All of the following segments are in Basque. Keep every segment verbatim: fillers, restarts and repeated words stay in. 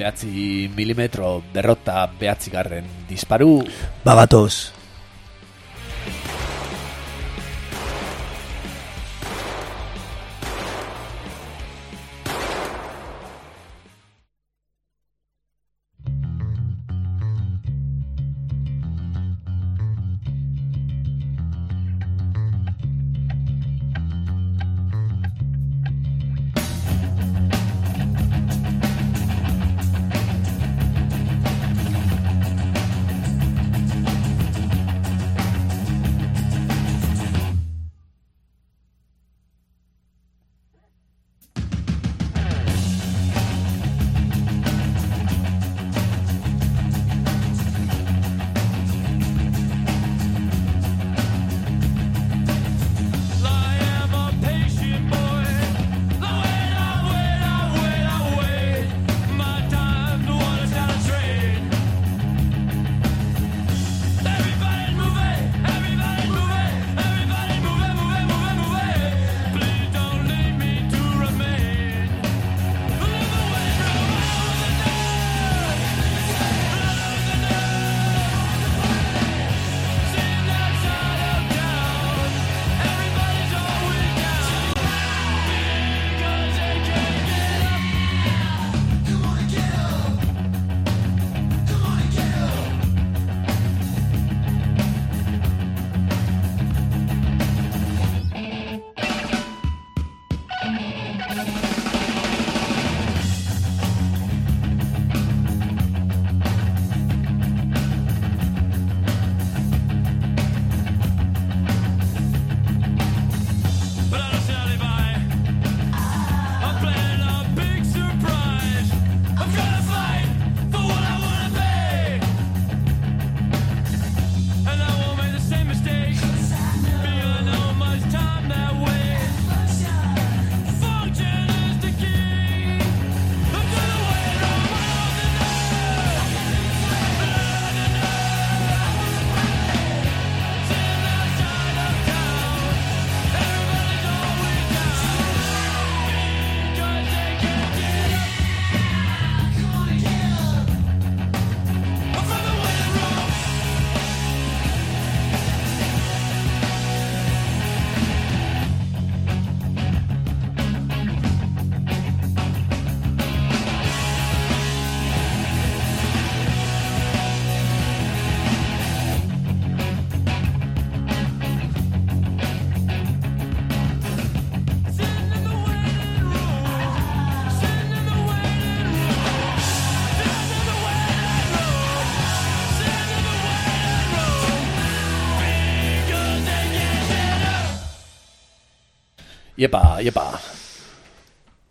behatzi milimetro berrota behatzi garren disparu. Babatoz. Iepa, iepa.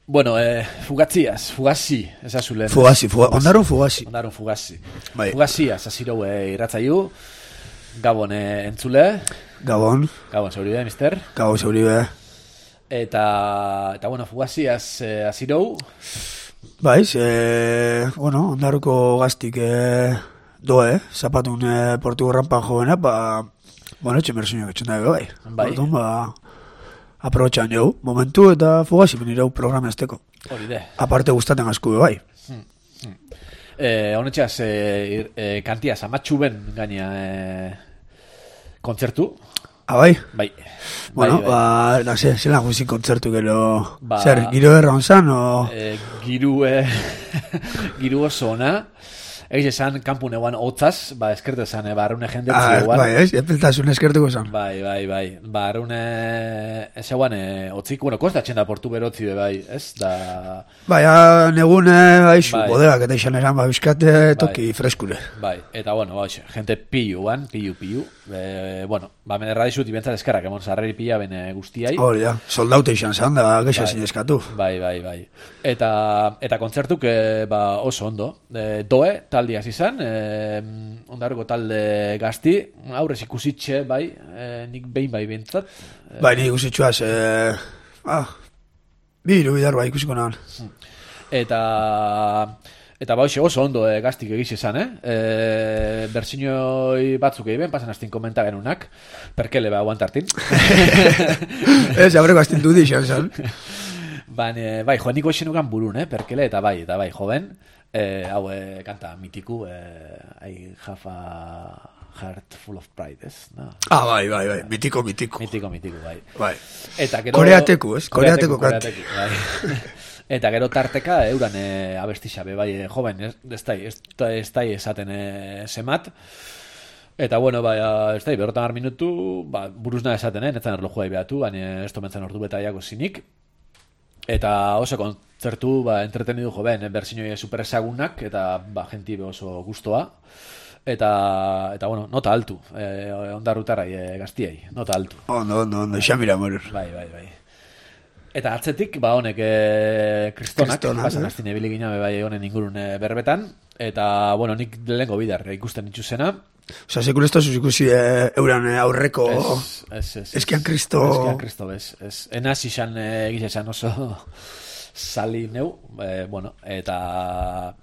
Bueno, eh, fugatziaz, fugazi, esazulen. Fugazi, fugazi, ondaron fugazi. Ondaron fugazi. Bai. Fugaziaz, azirau eh, irratzaiu. Gabon eh, entzule. Gabon. Gabon, zeuribe, mister. Gabon, zeuribe. Eta, eta bueno, fugaziaz eh, azirau. Baiz, eh, bueno, ondaruko gaztik eh, doe, zapatun eh, portugo rampan jovena, ba, bueno, etxe mersuñak etxen dago, bai. Bai. Orduan, ba, aprobetxan jau, momentu eta fugazi benirau programa esteko. Hori de. Aparte gustaten asko, bai. Hmm, hmm. Eh, honetxaz, eh, eh, kantiaz, amatxu ben gaina eh, kontzertu. Ah, bai? Bai. Bueno, bai, bai. ba, no sé, zelan guzin kontzertu gero, Ba, zer, giro erran zan, o... Eh, giru, eh, giru oso ona. Egiz esan, kampun eguan hotzaz, ba, eskertu esan, eh, ba, arrune jende Ah, eguan. bai, ez, epeltasun eskertuko zan. Bai, bai, bai. Ba, arrune, ez eguan, eh, otzik, bueno, kostatzen da portu berotzi be, bai, ez, da... Bai, negune, baizu, Bai. bodeak eta izan eran, ba, euskate toki Bai. freskure. Bai, eta bueno, ba, hoxe, gente pilu, ban, pilu, pilu. E, bueno, ba, men erradizut, ibentzat eskarrak, emon, zarreri pila bene guztiai. Hori da, soldaute izan zan, da, gexa Bai. zin eskatu. Bai, bai, bai. Eta, eta kontzertuk, e, ba, oso ondo. E, doe, taldi hasi izan, e, ondarroko talde gazti, aurrez ikusitxe, bai, e, nik behin bai bentzat. E, Bai, nik usitxuaz, eh, ah, bi hiru bidar bai ikusiko nahan. Eta... Eta ba, hoxe, oso ondo e, gaztik egiz izan, eh? E, Bertsinoi batzuk egin, pasan hastin komenta genunak, perkele ba, aguantartin. Ez, aurreko astintu di izan zan. Baina, bai, joan niko esenukan burun, eh, perkele, eta bai, eta bai, joven, eh, hau, eh, kanta mitiku, eh, I have a heart full of pride, ez? No. Ah, bai, bai, bai, mitiko, mitiko. Mitiko, mitiko, bai. Bai. Eta gero... Koreateku, ez? Koreateku, koreateku, bai. Eta gero tarteka, euran e, abestixabe, bai, e, joven, ez, ez da, ez, ez da esaten e, semat. Eta, bueno, bai, ez da, berrotan har minutu, ba, buruzna esaten, eh? Netzan erlojua ibehatu, baina ez tomentzen ordu betaiako zinik. Eta oso kontzertu, ba, entretenidu joven, eh? Berzinoi super ezagunak, eta, ba, genti oso gustoa. Eta, eta, bueno, nota altu, eh, ondarrutarai eh, gaztiei, nota altu. Ondo, ondo, ondo, xamira morur. Bai, bai, bai. Eta atzetik, ba, honek e, kristonak, Kristonak, pasan eh? aztine biligina bai honen ingurun e, berbetan, eta, bueno, nik lehenko bidar ikusten itxuzena. Osa, sekul ez da ikusi e, euran e, aurreko es, es, es, eskian kristo... Eskian kristo, bez. Es, enaz izan e, egiz esan oso sali neu, e, bueno, eta...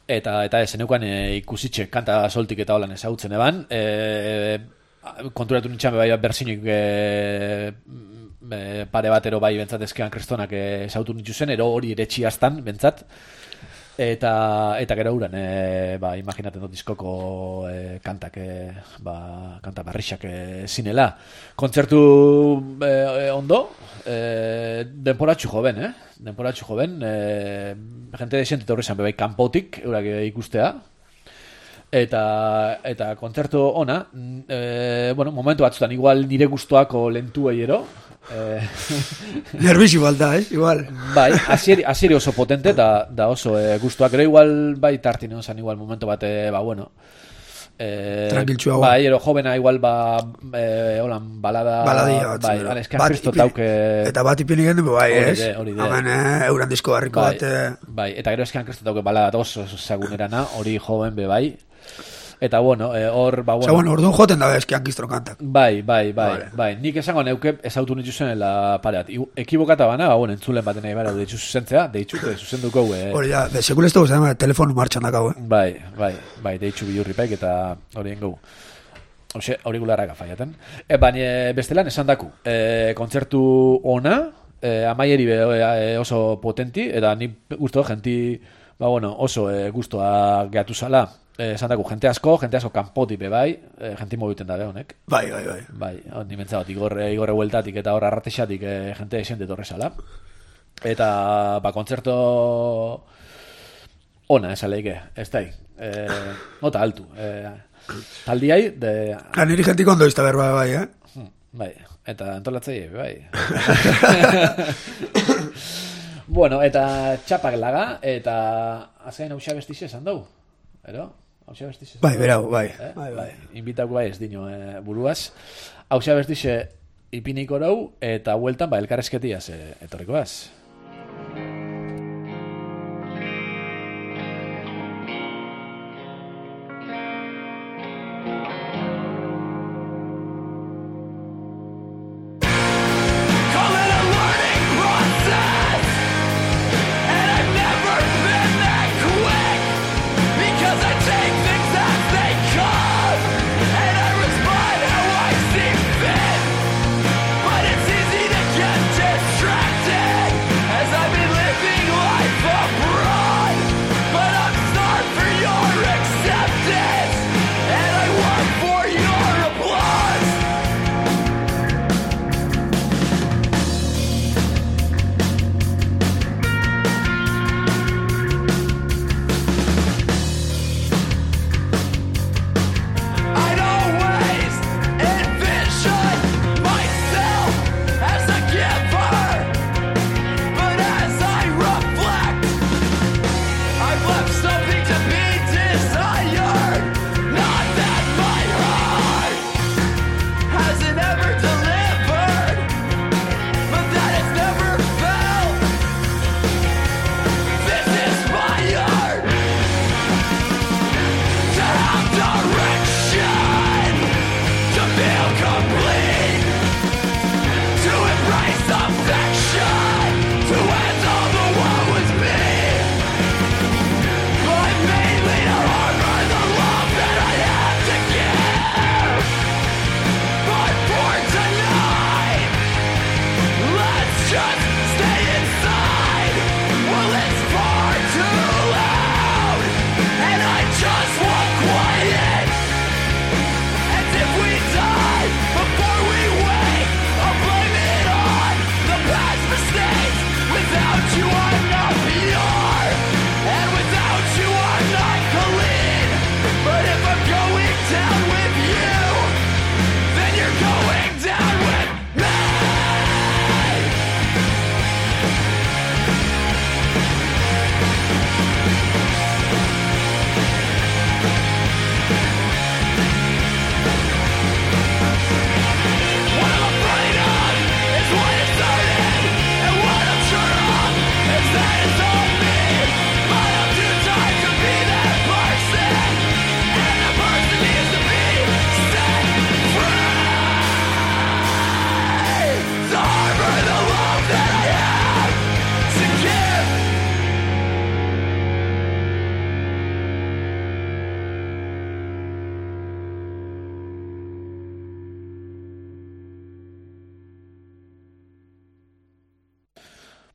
Eta, eta eseneukan e, ikusitxe kanta soltik eta holan ezagutzen eban, e, konturatu nintxan bai berzinik e, e, pare batero bai bentzat eskean kristonak esautu nitu zen, ero hori eretxi astan bentzat, eta, eta gero uran e, ba, imaginaten dut diskoko e, kantak e, ba, kanta barrixak e, zinela kontzertu e, ondo e, denporatxu joven eh? denporatxu joven e, jente desientet horrezan bebai kanpotik eurak ikustea. Eta, eta kontzertu ona, e, bueno, momentu batzutan, igual nire gustoako lentu ero. E, Nerviz igual da, eh? Igual. Bai, asieri, asieri oso potente, da, da oso e, gustoak, ero igual, bai tartine osan, igual momentu bat, e, ba, bueno. E, Tranquiltxu hau. Bai, ero jovena igual, ba, e, holan, balada. Baladia bat. Bai, aleska kristo tauke. Eta bat ipini gendu, bai, ez? Hori de, Hamen, eh, euran disko barriko bai, bat. Eh. Bai, eta gero eskean kristo tauke balada oso zagunerana, hori joven be bai. Eta bueno, hor, eh, ba, bueno. Osa, bueno, orduan joten da eskian kistro kantak. Bai, bai, bai, vale. Bai. Nik esango neuke ezautu nitu zenela pareat. Ekibokata bana, ba, bueno, entzulen baten nahi bara, deitzu zuzentzea, deitzu, zuzenduko, eh. Hori da, de sekul ez dugu zen, telefonu martxan dakau, eh. Bai, bai, bai, deitzu bilurripaik eta hori engau. Hoxe, aurikularrak afaiaten. E, baina bestelan esan daku, e, kontzertu ona, e, amaieri be, e, oso potenti, eta ni gusto, genti, ba, bueno, oso e, gustoa gehatu zala. Eh, esan dago, jente asko, jente asko kanpotik be bai, eh, jenti mobiten dabe honek. Bai, bai, bai. Bai, hon nimentzagot, igorre, igorre hueltatik eta hor arratexatik eh, jente esente torrezala. Eta, ba, kontzerto ona, esaleike, ez da, eh, nota altu. Eh, taldiai, de... La niri jentik ondo izta berba, bai, eh? Hmm, bai, eta antolatzei, bai. Bueno, eta txapak laga, eta azkain hausia bestixe esan dugu, ero? Bai, berau, bai. Eh? Bai, bai. Inbitako bai ez dino eh, buruaz. Hausia bestixe ipiniko rau, eta hueltan, ba, elkarrezketiaz eh, etorrikoaz. Distracted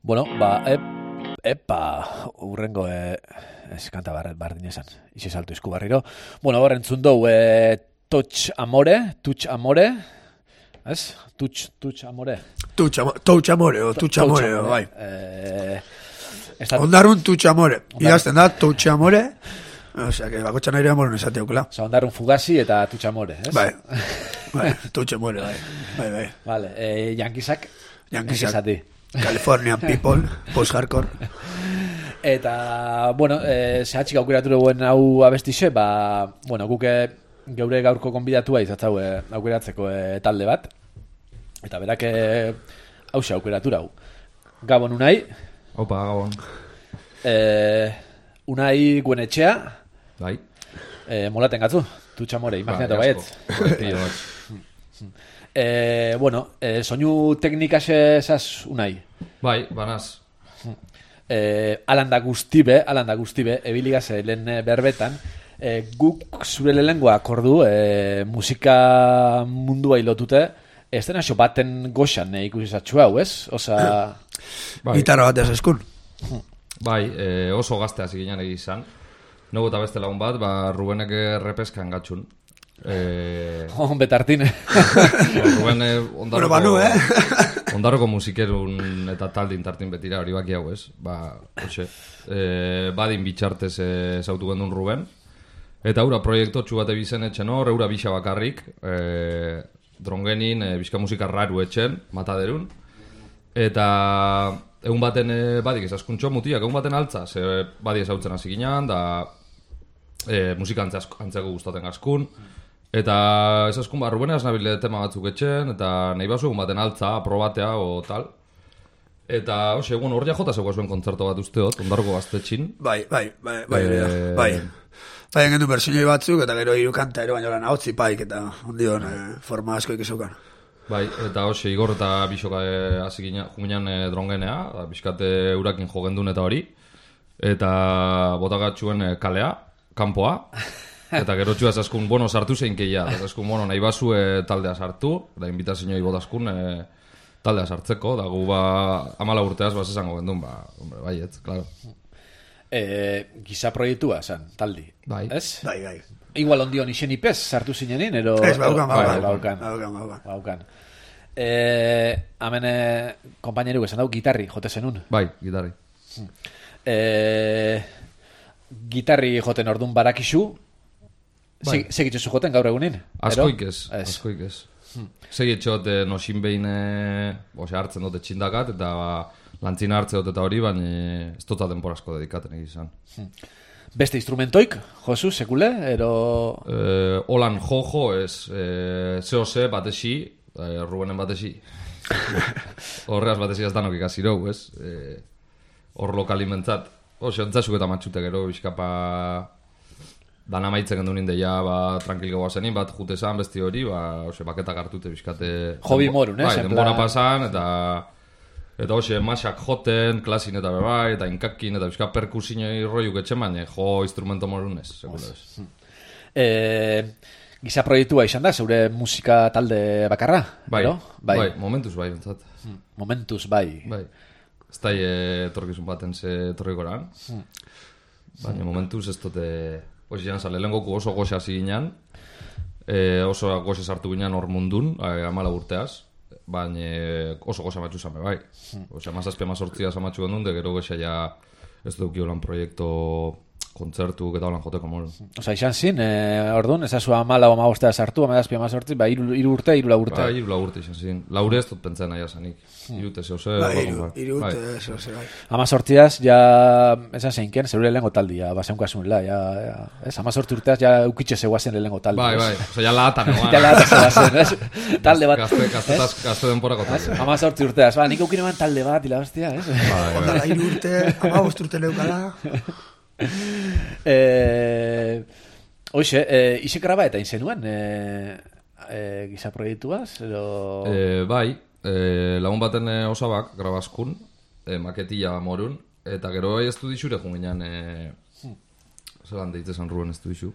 Bueno, ba, ep, epa, urrengo, e, ez kanta barret bardin esan, izi saltu izku barriro. Bueno, hor entzun dugu, e, touch amore, touch amore, ez? Touch, touch amore. Touch amore, touch amore, o touch amore, bai. Eh, estat... Ondarrun touch amore, idazten da, touch amore, osea, que bakotxan aire amore nesate aukela. Osa, ondarrun fugasi eta touch amore, ez? Bai, bai, touch amore, bai, bai, bai. Vale, e, yankisak, Yankisak. Californian people, post-hardcore. Eta, bueno, e, zehatxik aukeratu duen hau abestixe, ba, bueno, guke geure gaurko konbidatua izatzau e, aukeratzeko e, talde bat. Eta berak e, hause aukeratu hau. Gabon Unai. Opa, Gabon. E, Unai Guenetxea. Bai. E, molaten gatzu, tutxamore, imaginatu bai, baietz. Eh, bueno, eh, soinu teknikase esaz Unai. Bai, banaz. Eh, alanda guztibe, alanda guztibe, ebiligaz lehen berbetan, eh, guk zure lehengoa akordu, eh, musika mundua hilotute, ez dena xo baten goxan eh, ikusi zatxu hau, ez? Osa... Bai. Gitarra bat ez eskun. Bai, eh, oso gazte hasi ginen egizan. Nogu eta beste lagun bat, ba, Rubenek errepeskan gatxun. Eh, oh, betartine. Ruben eh, ondarroko, bueno, banu, eh? ondarroko musikerun eta taldin tartin betira hori baki hau, ez? Ba, hoxe. Eh, badin bitxartez zautu eh, gendun Ruben. Eta aura proiektu txu bate bizen etxen hor, eura bisa bakarrik, eh, drongenin, eh, bizka musika raru etxen, mataderun. Eta egun baten eh, badik ezaskuntxo mutiak, egun baten altza, ze badi ezautzen hasi ginean, da eh, musika antzeko gustaten gaskun. Eta ez askun barru benaz nabile tema batzuk etxen, eta nahi basu egun baten altza, aprobatea o tal. Eta, hoxe, egun horria jota zegoa zuen kontzerto bat usteot, ondarko gaztetxin. Bai, bai, bai, bai, e... bai. Bai, engendu bersinoi batzuk, eta gero hiru kanta ero baino lan hotzi paik, eta ondion e, forma asko ikizukan. Bai, eta hoxe, Igor eta Bisoka hasi e, ginean e, drongenea, bizkate urakin jogendun eta hori. Eta botagatxuen e, kalea, kanpoa. Eta gero txuaz askun, bueno, sartu zein keia. Eta askun, bueno, nahi basu e, taldea sartu. Eta invitazioi botaskun e, taldea sartzeko. Da gu ba, amala urteaz bas esango gendun, ba, hombre, bai, ez, klaro. E, giza proiektua, zan, taldi. Bai. Ez? Bai, bai. Igual ondion isen ipez, sartu zinenin, ero... Ez, baukan, baukan. baukan. Baukan, baukan. Baukan. E, hamen, kompaineru esan dau, gitarri, jote zenun. Bai, gitarri. E, gitarri joten ordun barakizu, bai. Segitxozu joten gaur egunin? Askoik ez, askoik ez. Hmm. Segitxot eh, nosin behin eh, ose, hartzen dute txindakat, eta ba, lantzina hartze dut eta hori, baina ez tota denporazko dedikaten egizan. Hmm. Beste instrumentoik, Josu, sekule, ero... Eh, Olan jojo ez, eh, zeo ze batesi, eh, Rubenen batesi. Horreaz batesi ez danok ikasirou, ez? Eh, hor lokalimentzat. Ose, ontzasuk eta matxute gero, bizkapa... Dan amaitzen gendu ninde ja, ba, tranquil gaua zenin, bat jute zan besti hori, ba, ose, baketak hartute bizkate... Hobi morun, ez? Bai, denbora pasan, eta... Eta hoxe, masak joten, klasin eta bebai, eta inkakin, eta bizka perkusinoi roiuk etxen, baina jo instrumento morun ez, seguro ez. E, giza proiektua izan da, zeure musika talde bakarra? Bai, bai, bai, momentuz bai, bentsat. Momentuz bai. Bai, ez da etorkizun baten ze etorrikoran, baina momentuz ez dute... Osi jan zale, lehenkoku oso goxe hasi ginen, e, oso goxe sartu ginen hor mundun, e, amala urteaz, baina oso goxe amatxu zame, bai. Osea, mazazpia mazortzia amatxu gendun, de gero goxe ja ez dukio lan proiektu kontzertu eta holan joteko moru. Osa, izan zin, e, orduan, ezazu amala o amagostea sartu, amagazpia mazortzi, ba, iru, iru urte, iru la urte. Ba, iru la urte izan zin. Laure ez dut pentsa nahi asanik. Irute zeu ze. Ba, iru, iru urte zeu ze, bai. Amazortziaz, ja, esan zeinken, zeure lehenko taldi, ja, baseunkasunela, ja, ja, ez, amazortzi urteaz, ja, eukitxe zeuazen lehenko taldi. Bai, bai, oza, ja lahatan egoan. Ja lahatan zeuazen, ez? Talde bat. Gazte denporako talde. Amazortzi urteaz, ba, nik eukine man talde bat, ila hostia, ez? Ondala, iru urte, amabost urte leukala. Eh, oixe, eh, isek graba eta inzenuen eh, eh, giza proiektuaz edo... eh, bai, eh, lagun baten eh, osabak grabaskun, eh, maketilla morun, eta gero bai estudixure junginan eh, hmm. zelan deitzesan Ruben estudixu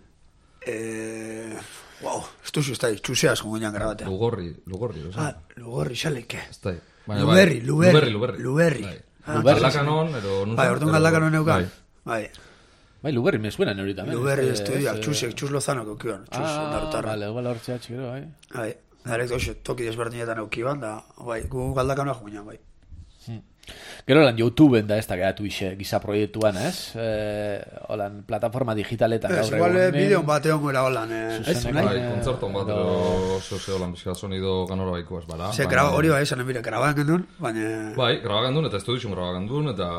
eh, wow, estudixu ez da txuseaz junginan grabatea Lugorri, Lugorri, ah, Lugorri, xaleke Luberri, Luberri, Luberri, Luberri. Galdakanon, edo... Bai, orduan galdakanon neukan. Bai. Bai, Luberri me suena neurita. Luberri estudiak, txusek, txus lozano kokiban. Ah, vale, igual hortzea txikero, bai. Bai, darek doxe, toki desberdinetan eukiban, da, bai, gu galdakanoa juinan, bai. Gero lan YouTubeen da ez da geratu ise giza proiektuan, ez? Eh, holan, plataforma digitaletan gaur egun. Ez, igual bideon bat egon gara holan, ez? Bai, kontzerton bat, edo, zoze holan, bizka sonido ganora baikoaz, bala. Ze, hori bai, esan enbire, grabagan gendun, baina... Bai, grabagan duen, eta estudizun grabagan duen, eta...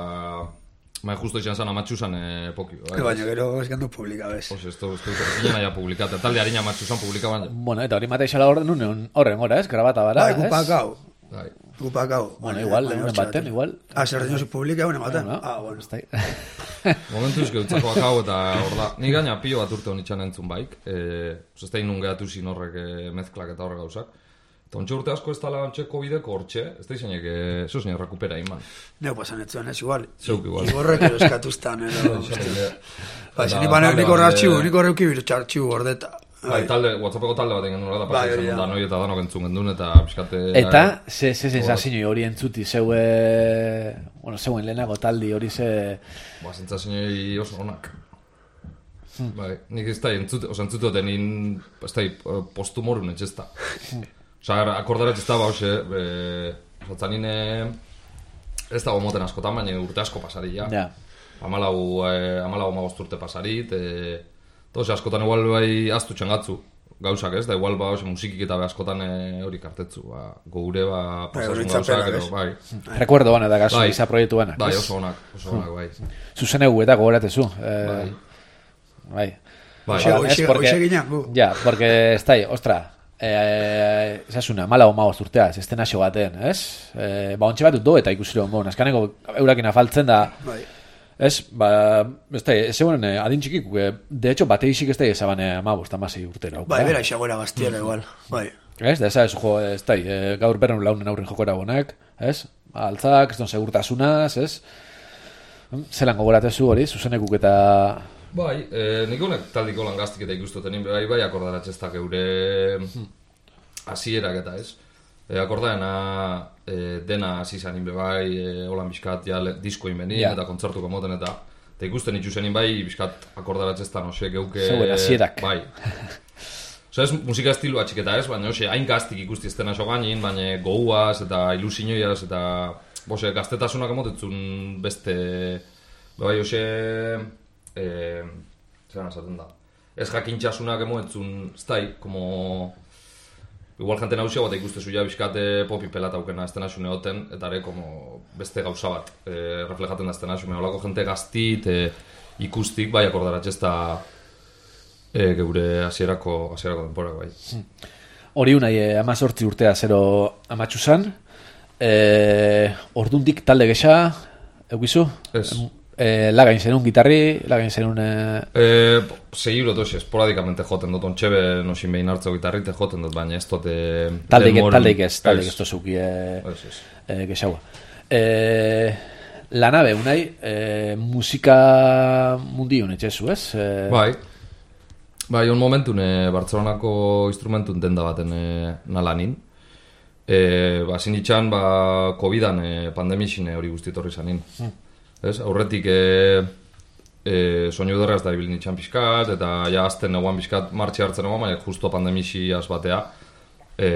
Bai, justo izan zan amatxuzan pokio. Baina, gero ez gendu publika, bez. Ose, ez du, ez du, ginen aia publikat, eta talde harina amatxuzan publika baina. Bueno, eta hori mateixala horren horren, ez? Grabata bara, ez? Bai, gupak hau. Bai. Gupak hau. Bueno, igual, egunen baten, igual. Ah, zer dino zu publika egunen baten? Ah, bueno. Momentu izke utzakoak hau eta hor da. Ni gaina pio bat urte honitxan entzun baik. Ez da inun gehatu zin horrek mezklak eta horrek gauzak. Eta ontsa urte asko ez tala antxeko bideko hortxe, ez da izainek, zeu zeinek rekupera iman. Neu pasan etzuen ez, igual. Zeuk igual. Igorrek ero eskatuztan, ero. Ba, izan ipanek nik horre artxibu, nik horre ukibiru artxibu gordeta. Bai, talde, WhatsAppeko talde bat egin duen, da pasa izan da noi eta danok entzun gendun, eta pixkate... Eta, ze sensazio hori entzuti, zeue... Bueno, zeuen lehenago taldi hori ze... Ba, sensazio oso honak. Bai, nik ez da, entzute hoten in... Ez da, postumorun etxe ez da. Osa, akordaretz ez da, ba, hoxe... Zatzen ine... Ez da gomoten askotan, baina urte asko pasari, ja. Ja. Amalau, amalau amagost urte pasarit, Toze, askotan igual bai aztu txangatzu gauzak ez, da igual ba musikik eta askotan hori kartetzu, ba, gure ba pasasun gauzak, edo, bai. Recuerdo bana da gaso, iza proiektu banak. Bai, oso onak, oso onak, bai. Zuzenegu eta gogoratezu. Bai. Bai. Bai, hoxe ginean, gu. Ja, porque, ez da, ostra, esasuna, mala oma urtea, ez estena xo baten, ez? Ba, ontxe bat dut do eta ikusiro, bon, azkaneko eurakina faltzen da... Bai. Ez, ba, ez da, ez egonen adin txikik, de hecho, bate isik ez da, ez abane amabos, tamasi urtera. Bai, bera isagoera gaztiela igual, bai. Ez, da, ez da, ez da, gaur berren launen aurrin jokora bonak, ez? Altzak, ez don segurtasunaz, ez? Zelan gogoratezu hori, zuzenekuk eta... Bai, nik honek taldiko lan gaztik eta ikustoten, bai, bai, akordaratxeztak eure hasierak eta ez. E, akordaena e, dena hasi zanin bai, e, holan bizkat ja, disko inbenin yeah. Eta kontzertuko moten eta eta ikusten itxuzenin bai, bizkat akordaratzeztan ose geuke... Zeuen hasierak. Bai. Osa ez musika estilu atxiketa ez, baina ose hain gaztik ikusti eztena so gainin, baina goguaz eta ilusioiaz eta ose, gaztetasunak emotetzun beste... Bai, ose... E, zeran esaten da. Ez jakintxasunak emotetzun, ez da, como... Igual jante nauzia bat ikustezu ja bizkate popi pelata aukena ez tenasune hoten, eta ere como beste gauza bat e, reflejaten da ez tenasune. Olako jente gaztit, e, ikustik, bai akordaratxezta e, geure hasierako hasierako denporak bai. Hori unai e, amazortzi urtea zero amatxuzan, e, ordundik talde gesa, eukizu? Ez. Eh, lagain zenun gitarri, lagain zenun... Eh... Eh, Segiro toxe, esporadikamente joten dut, ontxebe nosin behin hartzeko gitarrite joten dut, baina ez dote... Taldeik ez, taldeik ez, taldeik ez tozuki eh, gexaua. Eh, Lanabe, unai, eh, musika mundiun etxezu, ez? Eh... Bai, bai, on momentun eh, Bartzelonako instrumentun denda baten eh, nalanin. Eh, ba, zinditxan, ba, covidan eh, pandemixin hori guztitorri zanin. Hmm. Ez, aurretik e, e, soinu derraz da ibilin itxan pixkat, eta ja azten eguan pixkat martxe hartzen eguan, baina justo pandemixi batea, e,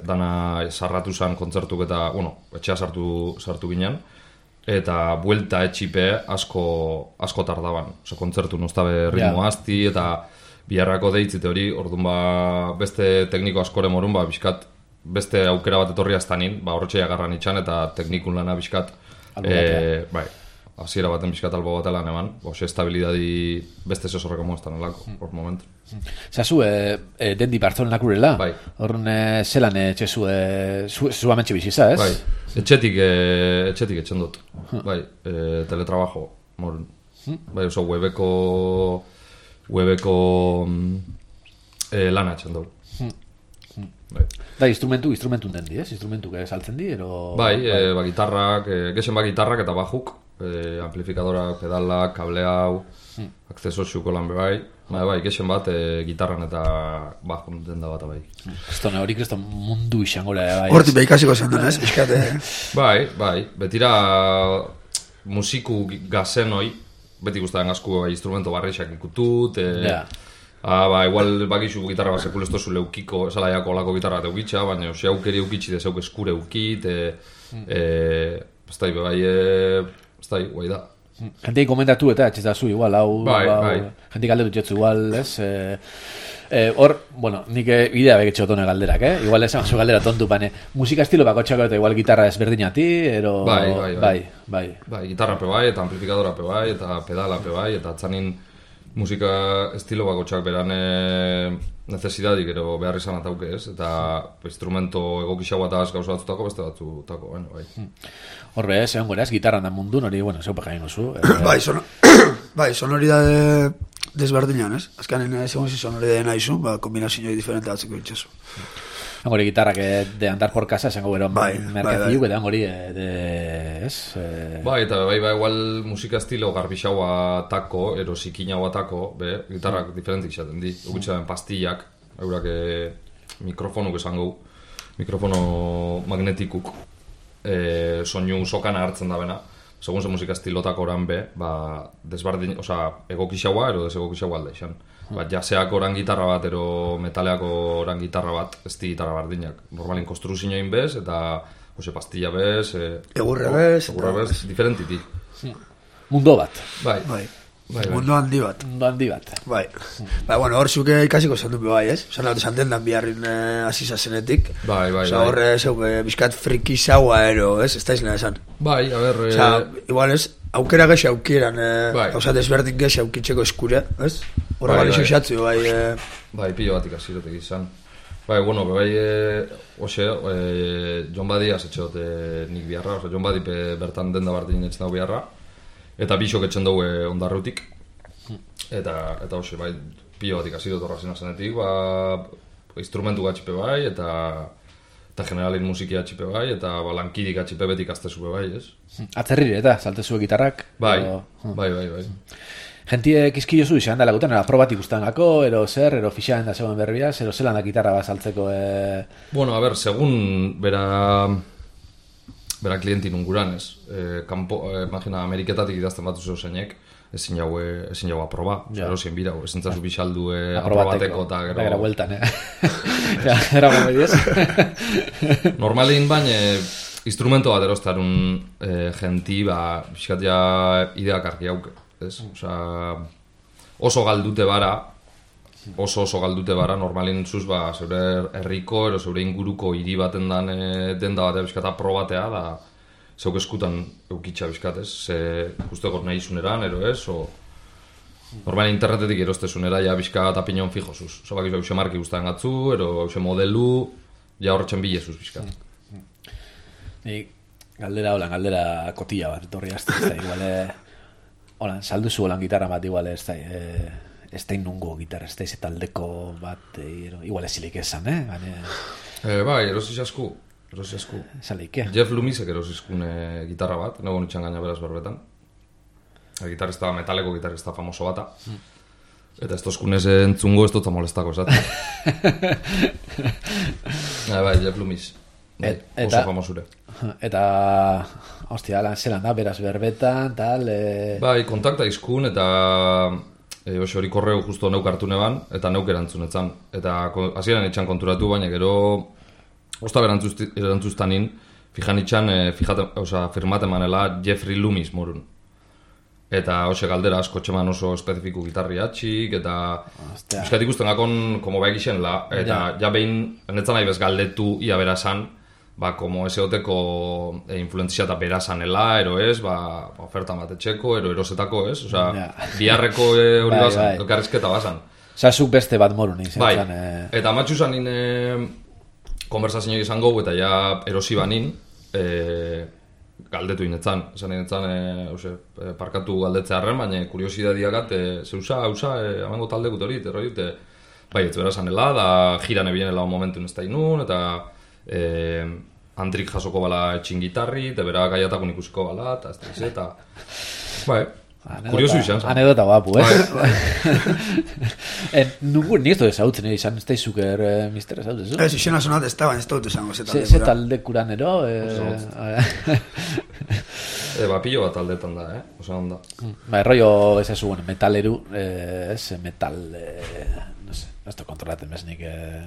dana sarratu zen kontzertuk eta, bueno, etxea sartu, sartu ginen, eta buelta etxipe asko, asko tardaban. Oso, kontzertu noztabe ritmo yeah. Azti, eta biharrako deitzite hori, orduan ba, beste tekniko askore morun, ba, pixkat, beste aukera bat etorri aztanin, ba, horretxea agarran itxan, eta teknikun lana pixkat, e, bai, hasiera baten bizkat albo bat elan eman, ose estabilidadi beste zesorreko moztan alako, hor momentu. Zazu, e, e, dendi Bartzolenak urela? Bai. Horren e, zelan etxezu, e, zu, zu amentxe biziza, ez? Bai, etxetik, e, etxetik etxen dut, bai, e, teletrabajo, morun. Bai, oso, webeko, webeko e, lana etxen dut. Bai. Da, instrumentu, instrumentu dendi, ez? Instrumentu que saltzen di, ero... Bai, bai. E, ba, gitarrak, e, gexen ba gitarrak eta bajuk, e, amplifikadorak, pedalak, kable hau, hmm. akzeso xuko lan bai, bai, bai, gexen bat, e, gitarran eta bajun denda bat bai. Estone hori kriston mundu izango bai. Horti behikasiko zen duen, ez? Biskate. Bai, bai, betira musiku gazen hoi, beti guztaren asko bai, instrumento barreixak ikutut, e, Ja. ah, ba, igual bakixu gitarra bat sekulesto zu leukiko, esalaiako olako gitarra bat eukitxa, baina ose aukeri eukitxi de zeuk eskure eukit, e, e, ez da, bai, e, ez da, guai da. Jentei komentatu eta etxez da zu, igual, hau, Bai, hau, bai. jentik galdetu txotzu, igual, ez? Eh, eh, hor, bueno, nik eh, idea beketxe otone galderak, eh? Igual esan zu galdera tontu, bane, musika estilo bako txako eta igual gitarra ezberdinati, ero... Bai, bai, bai. bai, bai. Bai, gitarra pe bai, eta amplifikadora pe bai, eta pedala pe bai, eta atzanin musika estilo bako txak beran e, necesidadik ero behar izan atauke ez, eta instrumento egokixau bat az gauza batzutako, beste batzutako, bueno, bai. Horbe, ez, egon gora, ez, gitarran da mundu, hori, bueno, zeupa jain gozu. Eh, Bai, son, bai, sonoridade desberdinan, ez? Azkanen, segun si sonoridade nahizu, ba, kombinazioi diferente batzeko itxasu. egon gori gitarrak eh, de andar por casa, esango gero Bai, merkeziuk, bai, bai. eta egon gori, eh, de, ez? Eh, Bai, eta bai, bai, igual musika estilo garbixaua tako, ero zikinaua tako, be, gitarrak diferentik izaten di. Egutxean pastillak, eurak e, mikrofonuk esango, mikrofono magnetikuk, e, soinu sokana hartzen da bena. Segun ze musika estilotak oran be, ba, desbardin, oza, egokixaua, ero desegokixaua alda izan. Ba, jaseak oran gitarra bat, ero metaleako oran gitarra bat, ez di gitarra bardinak. Normalin konstruzioin bez, eta ose, pastilla bez, e, Egurre bez, egurre eta- bez, diferentiti. mundo bat, Bai, Bai, bai, bai. mundu handi bat. mundo handi bat. Bai, bai, bueno, hor zuke ikasiko zendu bai, ez? Osa, naute zanten dan biharrin eh, asisa zenetik. Bai, bai, Osa, bai. horre, zeu, eh, bizkat friki zaua ero, ez? Ez da izena esan. Bai, a ber, Osa, eh, igual ez, aukera gexe aukeran, eh, Bai. osa, desberdin gexe aukitzeko eskure, ez? Horra Bai, bai, bai. xatzu, bai, eh, bai, pilo bat ikasirotek izan. Bai, bueno, bai, e, ose, e, John Badi asetxeot e, nik biharra, oza, John Badi pe, bertan denda bartin etxen dago biharra, eta bisok etxen dugu e, ondarrutik, eta, eta ose, bai, pilo bat ikasirot horra zena zenetik, ba, instrumentu gatxipe bai, eta eta generalin musiki atxipe bai, eta ba, lankidik atxipe betik aztezupe bai, ez? Atzerrire eta, saltezue gitarrak. Bai, ero- bai, bai, bai. Gentie kizkio zu izan dela guten, era probat ikusten gako, ero zer, ero fixaren da zegoen berbiaz, ero zelan da gitarra bat saltzeko, e... Bueno, a ver, segun bera bera klientin unguran, ez? E, kanpo, e, imagina, Ameriketatik idazten bat zeu zeinek, ezin jau, e, ezin jau aproba. Ja. Ero zien bira, ezin zazu bixaldu e, aprobateko, aprobateko eta eta gero gero... bueltan, eh? Ja, era gomediez. Normalin baina instrumento bat erostarun e, genti, ba, pixkat ja ideak argi hauke, ez? Osea, oso galdute bara, oso oso galdute bara, normalin zuz, ba, zeure herriko, ero zeure inguruko hiri baten dan e, denda batea bizkata probatea, da zeuk eskutan eukitxa bizkat, ez? Ze guztekot nahi zuneran, ero ez, o... Normal internetetik erostezunera, ja bizka eta pinon fijosuz. Oso bakizu hause marki guztan gatzu, ero hause modelu, ja horretxen bilezuz bizkat. Ni galdera holan, galdera kotilla bat, etorri azte, ez da, igual, eh, holan, salduzu holan gitarra bat, igual, ez da, eh, ez da nungo gitarra, ez da, ez taldeko bat, eh, igual ezilik esan, eh? Gane, E, bai, erosi asku, erosi asku. esalik, eh? Jeff Lumisek erosizkun e, gitarra bat, nago nitxan gaina beraz berbetan. El gitarrista, metaleko gitarrista famoso bata. Eta ez tozkunez entzungo ez dutza molestako, esat. e, bai, Jeff Lumis. Bai, Et- oso eta- famosure. Eta, hostia, lan zelan da, beraz berbetan, tal, eh... Bai, kontakta izkun eta e, oso hori korreu justo neuk hartu neban, eta neuk erantzunetzan. Eta ko- hasieran itxan konturatu, baina gero osta berantzuzti- erantzuztanin, fijan itxan, e, fijate, oza, firmate manela Jeffrey Loomis morun. Eta hoxe galdera asko txeman oso espezifiku gitarri atxik, eta Ostia. bizkat ikusten gakon komo behik isen la, eta ja, ja behin, netzan nahi bez galdetu ia berazan, ba, como ese oteko e, influentzia eta berazanela, ero ez, ba, oferta bat etxeko, ero erosetako ez, osea, Ja. biharreko e, hori Bai, bazan, bai. elkarrizketa bazan. Osa, zuk beste bat moru nahi Bai, zentzen, eh... eta matxu zanin e, konversazio izango, eta ja erosi banin, e, galdetu inetzan, esan inetzan, e, ose, e, parkatu galdetzearen, baina kuriosidadiagat, e, zeusa, hausa, e, amango talde gutorit, erroi, e, bai, ez berazanela, da jiran ebienela un momentu ez da inun, eta e, Andrik jasoko bala etxin gitarri, eta bera gaiatakun ikusiko bala, eta ez da iz, eta... Bai, kuriosu izan zen. Anekdota guapu, eh? Bai. En, nugu, ni ez dut ezautzen, eh, izan ez da izuker, eh, mister ezautzen, zu? ez, izena sonat ez da, baina ez dut esango Ze, zetan. ze talde kuran ero, eh... E, ba, pilo bat aldetan da, eh? Osa, onda. Ba, erroio ez ez bueno, metaleru, eh, ez, metal, eh, no sé, ez da kontrolaten beznik. Eh.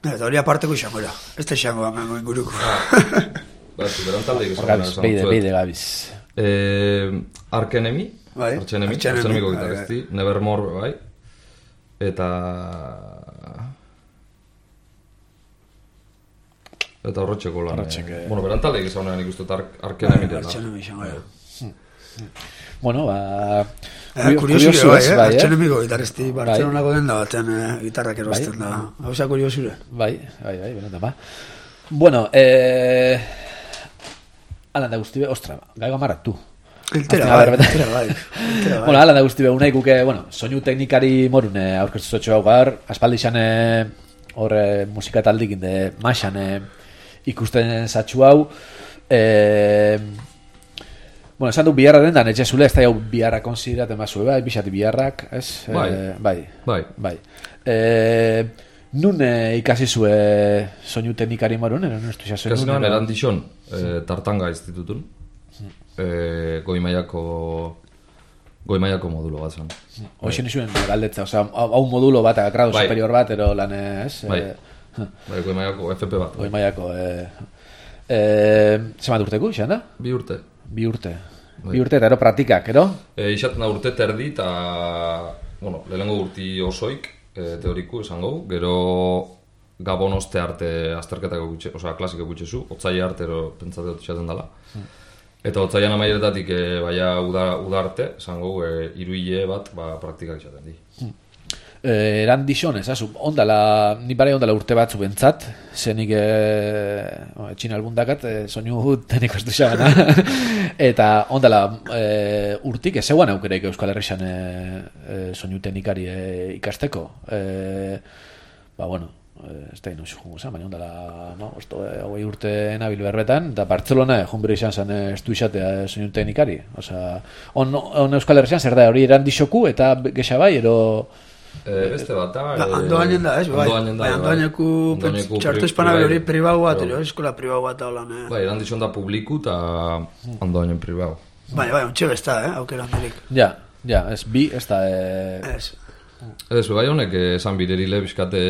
Eta hori aparteko izango da. Ez da izango amengo inguruko. Ba, zu, beran taldeik Hor gabiz, beide, beide gabiz. Eh, Ark Enemy, Bai, Arch Enemy, Arch Enemy, Arch Enemy bai, gitarristi, Nevermore, bai. Eta... Eta horretxeko lan. Horretxek, eh. Bueno, beran taldeik izan honean ikustu eta Ark, Ark Enemy dela. Arch Enemy izango da. Bueno, ba... Eh, kuriosure bai, eh? bai, Arch Enemiko gitarristi, Bartzelonako den da batean eh, gitarrak Bai. erosten da. Hauza kuriosure. Bai, bai, bai, benetan, ba. Bueno, eh... Alan da guzti be, ostra, gaigo amarratu. Eltera Azken, a bai, ber, eltera bai. Eltera bai. Bueno, alan da guzti be, unai guke, bueno, soinu teknikari morun eh, aurkeztu zotxo hau gar, aspaldi xan eh, hor eh, musika taldik inde maixan eh, ikusten zatxu hau. Eh, bueno, esan du biharra den da, netxe zule, ez da jau biharra konsideraten bazue, bai, bixati biharrak, ez? Bai. Eh, bai. Bai. Bai. Eh, nun eh, ikasi zue soinu teknikari morun, ero nustu xa zuen? Kasi nuen erandixon, eh, Tartanga institutun. Eh, goi mailako goi mailako modulo bat zen. Hoxe nizuen galdetza, osea, hau modulo bat, grado Bai. superior bat, ero lan ez? Bai. Eh, Bai, goi mailako F P bat. Goi mailako, eh, eh, zemat urteko, izan da? Bi urte. Bi urte. Bai. Bi urte, eta ero praktikak, ero? E, Ixaten da urte terdi eta, bueno, lehenengo urti osoik, e, teoriku esango, gero Gabon oste arte azterketako gutxe, osea, klasiko gutxezu, otzaia arte ero pentsate dut izaten dela. Eta otzaian amaieretatik e, baina uda, uda arte, esango, e, iruile bat, ba, praktikak izaten di. Eh, eran dixon, ez, azu, ondala, ni bare ondala urte batzu bentzat, zenik eh, etxin albundakat, eh, soinu teniko ez duxabana, eta ondala eh, urtik, ez zeuan aukereik Euskal Herrixan eh, eh, soinu teknikari eh, ikasteko. Eh, ba, bueno, eh, ez da ino xujungo zen, baina ondala, no, osto, eh, hogei urte nabil berbetan, eta Bartzelona, junbero izan zen eh, ez du izatea eh, soinu teknikari. Osea, on, on Euskal Herrixan zer da, hori eran dixoku, eta gexa bai, ero... E, beste bat da... Ba, Andoainen da, ez? Bai, bai, Andoaineku txartu espanabel hori pribau bat, ero, eskola pribau bat holan, eh? Bai, eran dizon da publiku eta Andoainen pribau. Bai, bai, ontxe besta, eh, aukera handirik. Ja, ja, ez bi, ez da... Eh... Ez. Ez, bai honek esan birerile bizkate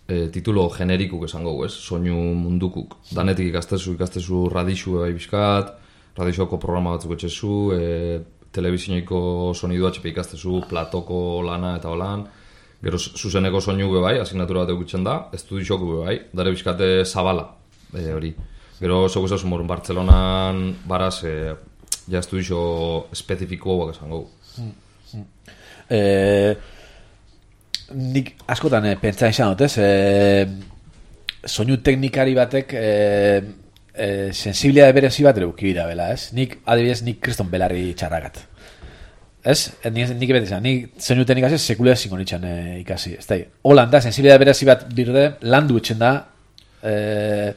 e, titulo generikuk esango, ez? Soinu mundukuk. Danetik ikastezu, ikastezu radixu bai bizkat, radixoko programa batzuk etxezu, e, telebizioiko sonidu atxepe ikastezu, platoko lana eta holan, gero zuzeneko soinu be bai, asignatura bat egutzen da, estudixoku be bai, dare bizkate zabala, e, hori. Gero zego ezazu morun Bartzelonan baraz, e, ja estudixo espezifiko bak esango. Eh, nik askotan eh, pentsa izan dut, ez? Eh, soinu teknikari batek eh, eh, sensibilidade berezi bat ere ukibira bela, ez? Nik, adibidez, nik kriston belarri txarragat. Ez? Nik, nik beti izan, nik soinu teknikaz sekulea zingo nitxan eh, ikasi, ez da? Holan da, sensibilidade berezi bat birde, landu etxen da. Eh,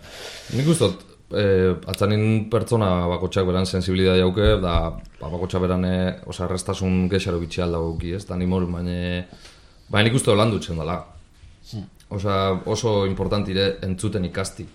Nik ustot, eh, atzanin pertsona bakotxak beran sensibilidade jauke, da ba, bakotxak beran, eh, oza, errestasun gexaro bitxi alda guki, ez? Da nimor, baina baina nik uste lan dutzen dela. Oza, oso importantire entzuten ikasti.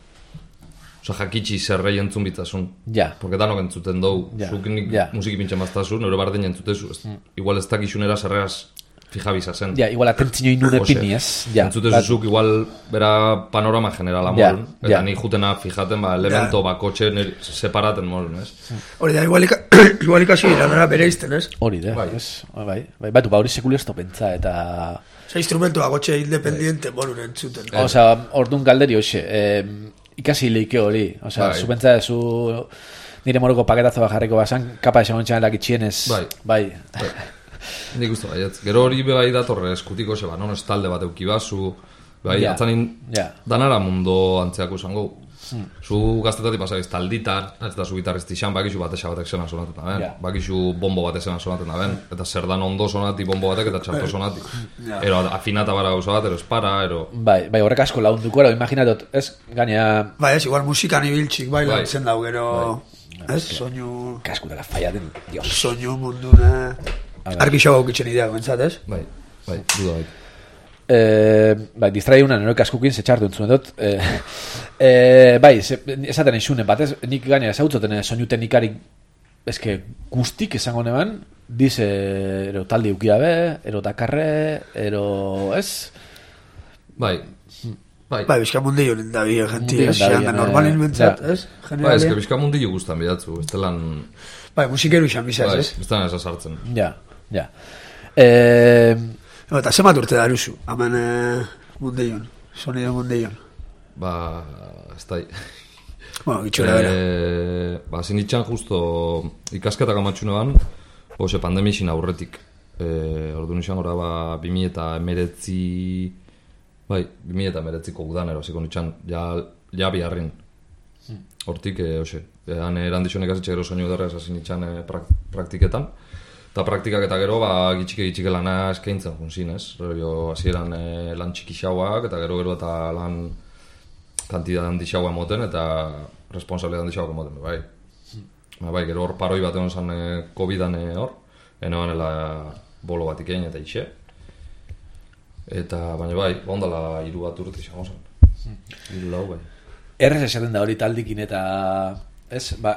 Osa, jakitxi zerrei entzun bitzasun. Ja. Porque danok entzuten dugu. Ja. Zuk nik Ja. musiki pintxan baztazu, nore bardin entzutezu. Mm. Igual ez dakizunera zerreaz fijabiza zen. ja, igual atentzio inun epini, ez? Ja. Entzutezuzuk igual bera panorama generala Ja, molun. Eta ja. ni jutena fijaten, ba, elemento bakotxe nire separaten molun, ez? Hori da, igual, ika, igual ikasi lanara bere izten, ez? Hori da, Bai. ez? Bai, bai, batu, ba, hori sekulu ez pentsa, eta... Osa, instrumentu agotxe independiente morun entzuten. Osea, orduan galderi hoxe, eh, ikasi leike hori. Osea, Bai. zu pentsa zu nire moroko paketazo bat jarriko basan, kapa esan ontsan elakitxienez. Bai. Bai. Nik uste baietz. Gero hori be bai datorre eskutiko, ze ba, non ez talde bat eukibazu, bai, Ja. atzanin Ja. danara mundo antzeako izango. Zu gaztetatik pasabiz talditan, ez da zu gitarristi xan, bakizu batesa batek zena sonaten da ben, Ja. bakizu bombo batek zena sonaten da ben, eta zer dan ondo sonati bombo batek eta txarto sonati. Ero afinata bara gauza bat, ero espara, ero... Bai, bai, horrek asko launduko, ero, imaginatot, ez, gaina, Bai, ez, igual musikan ibiltzik, bai, Bai. lantzen dau, gero... Ez, soinu... kaskutaka fallaten, dios. Soinu munduna... A ver. Arki xo gaukitzen idea, bentsat, ez? Bai, bai, duda bai. Eh, bai, distraiuna neroek askukin zetxartu entzuen dut. Eh, eh, bai, ze, esaten eixunen batez, nik gaina ezautzoten soinu teknikarik eske guztik esango neban, dize ero taldi ukia be, ero dakarre, ero, ez? Bai, bai. Bai, bizkamundi honen da bi, genti, Mundian ez? da bi, Xean da eh, normalin bentzat, ja. ez? Bai, Generalien. eske bizkamundi guztan bidatzu, ez telan... Bai, musikeru xan bizaz, Bai, ez? ez telan esasartzen. Ja, ja. Eh, No, eta zemat urte daruzu, hamen eh, mundeion, sonido mundeion. Ba, ez da... Bueno, gitxura bera. Eh, ba, zinitxan justo ikasketak amatxune ban, ose, pandemixin aurretik. Eh, ordu nixan gora, ba, bimi eta emeretzi... Bai, bimi eta emeretziko udan, erosiko nitxan, ja, ja biharrin. Hortik, eh, ose, han erandixon ikasetxe gero soinu derra esasin nitxan eh, prak, praktiketan. Eta praktikak eta gero, ba, gitxike gitxike lana eskaintzen junzin, ez? Rollo, hasieran eh, lan txiki xauak, eta gero gero eta lan kantidad handi xaua emoten, eta responsabilidad handi xauak emoten, bai. Ba, bai, gero hor paroi bat egon zan eh, COVID-an eh, hor, enoanela bolo bat ikein eta ixe. Eta, baina bai, ondala hiru bat urte izango zen. Hiru lau, bai. errez esaten da hori taldikin eta, ez, ba,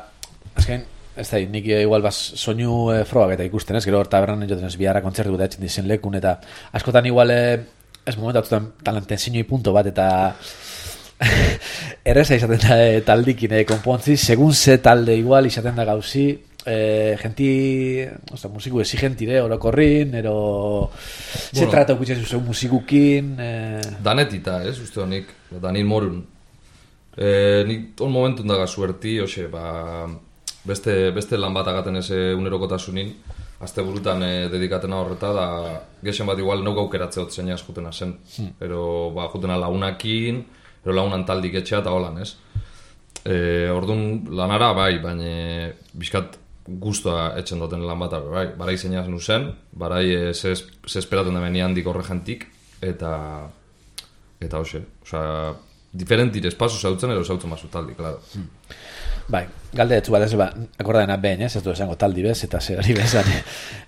azken, ez da, nik igual baz soinu e, frogak eta ikusten, ez, gero hor tabernan joten ez biharra kontzertu eta etxen dizen lekun, eta askotan igual, e, ez momentu atzutan talanten zinoi punto bat, eta erreza izaten da e, taldikin e, konpontzi, segun ze talde igual izaten da gauzi, e, genti, osta, musiku exigentire, orokorrin, ero, ze Bueno. trata ukutzen zuzen musikukin, e, Danetita, ez, uste honik, Danil Morun. E, nik on momentun daga suerti, hoxe, ba, beste, beste lan bat agaten ez unerokotasunin, azte burutan e, dedikatena horreta, da gexen bat igual nauk aukeratze hot zeina eskutena zen. Hmm. Ero, ba, jutena launakin, ero launan taldik etxea eta holan, ez? E, orduan lanara, bai, baina bizkat guztua etxen duten lan bat, bai, barai zeina nuzen, barai e, ze, ze esperaten da meni handik horregentik, eta, eta hoxe, osea, diferentir espazo zautzen, ero zautzen basu taldi, klaro. Hmm. bai, galde etzu bat ez, ba, akordadena behin, ez, ez du esango taldi bez, eta zer hori bezan,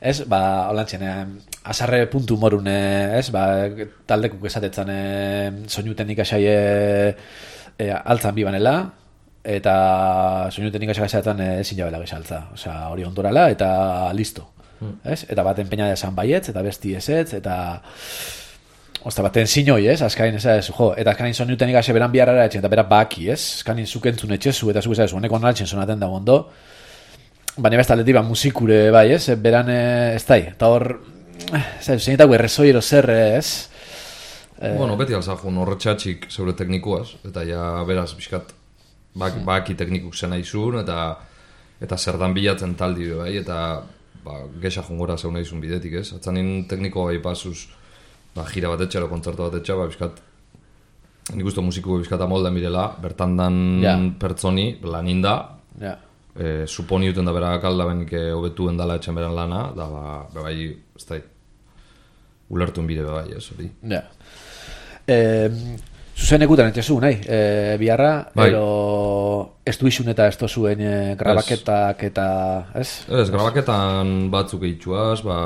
ez, ba, holantzen, eh, azarre puntu morun, eh, ez, ba, taldekuk esatetzen eh, soinu teknika xai eh, eh, altzan bibanela, eta soinu teknika xai esatetzen eh, ezin jabela bezaltza, osea, hori ondorala, eta listo, hmm. ez, eta bat enpeina desan baietz, eta besti ezetz, eta... Osta, baten zinoi, ez? Azkain, ez, ez, jo, eta azkain soniu tenik ase beran biharra etxen, eta bera baki, ez? Azkain zukentzun etxezu, eta zuk ez, honeko naltzen sonaten da ondo. Baina besta aldetik, ba, musikure, bai, ez? Beran, ez da, eta hor, ez, zeinetako errezoi ero zer, ez? Eh, bueno, beti alzajun horretxatxik zeure teknikuaz, eta ja beraz, bizkat, baki, baki teknikuk zena izun, eta eta zerdan bilatzen taldi, bai, eta ba, gexa jungora zeuna izun bidetik, ez? Atzanin tekniko bai pasuz, ba, gira bat etxe, kontzertu bat etxe, ba, bizkat, nik uste musiko bizkat amolda mirela, bertan dan ja. pertsoni, laninda, ja. e, suponi duten da bera kalda benik hobetuen dala etxen beran lana, da, ba, bai, ez da, ulertuen bide bai, ez, hori. Ja. Eh, zuzen ekutan etxezu, nahi, eh, biharra, bai. ero ez du izun eta ez zuen eh, grabaketak eta, ez? Ez, grabaketan batzuk eitxuaz, ba,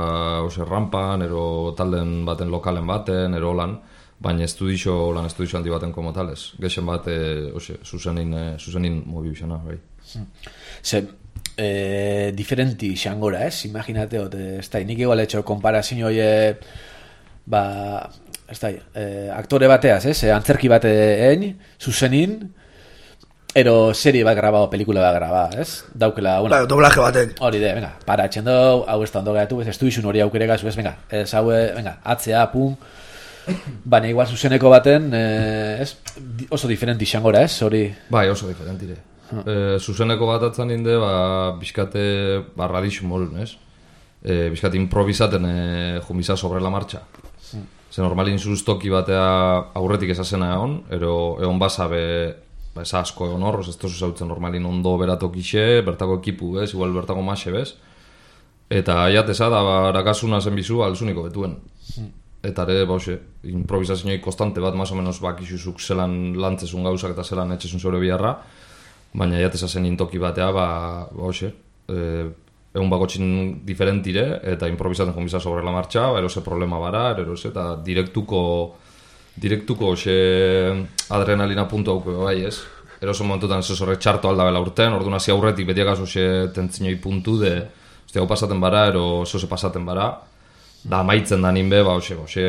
ose, rampan, ero talden baten lokalen baten, ero lan, baina estudixo, lan estudixo handi baten komo tales. Gexen bat, e, ose, zuzenin, e, zuzenin mobi bisana, bai. Ze, eh, diferenti xangora, ez? Imaginate, ot, ez da, nik igual etxo konparazio hoi, ba, ez da, eh, aktore bateaz, ez? Antzerki bate egin, zuzenin, ero serie bat graba o pelikula bat graba, ez? Daukela, bueno. Bai, doblaje baten. Hori de, venga, para etxendo, hau ez da ondo gaitu, ez du izun hori aukere gazu, ez, venga, ez hau, venga, atzea, pum, baina igual zuzeneko baten, eh, ez, oso diferenti xangora, ez, hori? Bai, oso diferentire. Huh. E, zuzeneko bat atzan inde, ba, bizkate, ba, radixu molun, ez? E, bizkate improvisaten e, jumiza sobre la marcha. Hmm. Ze normalin zuztoki batea aurretik esazena egon, ero egon basabe, ba, ez asko egon horroz, ez tozu zautzen normalin ondo beratok ixe, bertako ekipu, bez, igual bertako maxe, bez. Eta aiateza da, ba, rakasuna zen bizu, alzuniko betuen. Hmm. Eta ere, ba, hoxe, improvisazioik konstante bat, más o menos, bakizuzuk zelan lantzezun gauzak eta zelan etxezun zure biharra, baina aiateza zen intoki batea, ba, ba hoxe, e, egun bakotxin diferentire, eta improvisaten jombiza sobre la marcha, erose problema bara, erose, eta direktuko, direktuko xe adrenalina puntu hauke bai, ez? Erose momentutan ez horre txarto aldabela urten, orduan hasi aurretik betiak aso xe tentzinoi puntu de, oste, hau pasaten bara, ero zose pasaten bara, da maitzen da ninbe, ba, oxe, oxe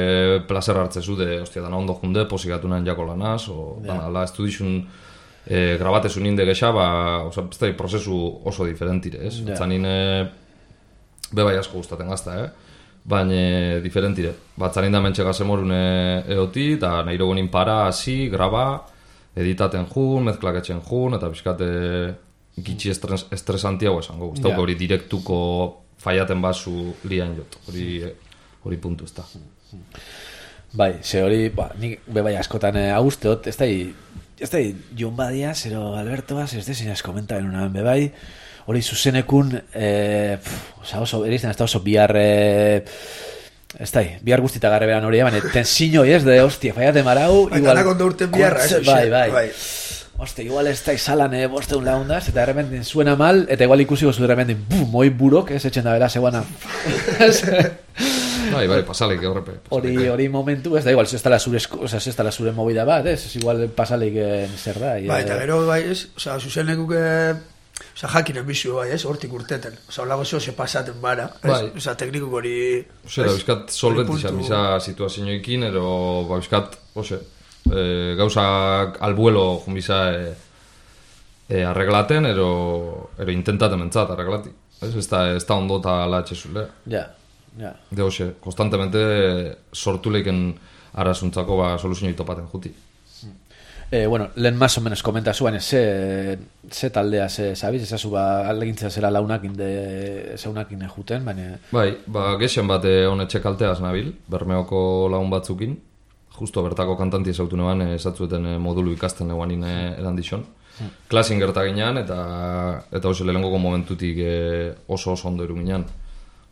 placer hartzezu de, ostia, dana ondo junde, posigatu nahen jako lanaz, o, yeah. dana, ala, ez du dixun, e, grabatezu ninde gexa, ba, oza, ez da, prozesu oso diferentire, ez? Yeah. Zanin, e, bebai asko gustaten gazta, eh? Baina diferentire. Batzanin da mentxe gazemorune eoti, eta nahi rogonin para, hasi, graba, editaten jun, mezklaketzen jun, eta bizkate gitxi estres, estresantiago esango. Ez yeah. hori direktuko faiaten basu lian jot, hori, hori puntu ez da. Bai, ze hori, ba, nik bebai askotan austeot, ez da, ez da, Jon Badia, zero Albertoaz, ez da, zinaz komentaren unaben bebai, hori zuzenekun, eh, oza, oso, erizten, ez da oso bihar, eh, ez da, bihar guztita garre beran hori, baina, tensiño, ez, de, hostia, faiaten marau, bai, igual, ondo urten biharra, eso, bai, bai, bai. Oste, igual ez da izalan, eh, bosteun laundaz, eta errependin suena mal, eta igual ikusiko zu errependin, bum, moi burok, ez etxen da bela, zegoana. Bai, bai, pasalik, horrepe. Hori, hori momentu, ez da, igual, ez da la zure, o sea, ez da la zure movida bat, ez, ez igual pasalik zer da. Bai, eta gero, bai, ez, o sea, zuzenekuk, o sea, jakinen bizio, bai, ez, hortik urteten. O sea, olago zeo se pasaten bara, ez, bai. O sea, teknikuk hori... Ose, da, bizkat solventizan biza situazioekin, ero, ba, bizkat, ose, e, gauzak albuelo jumbiza e, e, arreglaten, ero, ero intentaten mentzat arreglati. Ez, ez da, ez da ondo eta ala etxezule. Ja, ja. De hoxe, konstantemente sortu leiken arazuntzako ba, soluzioi topaten juti. Eh, bueno, lehen más o menos komenta zuen, ze, ze taldea, ze, sabiz, ezazu ba, aldegintzea zera launakin de zeunakin juten, baina... Bai, ba, gexen bat honetxe kalteaz nabil, Bermeoko lagun batzukin, justo bertako kantanti ezautu neban, esatzueten modulu ikasten neguanin edan dixon. Hmm. Klasin gertaginan, eta eta hoxe lehenengoko momentutik oso oso ondo eruminan.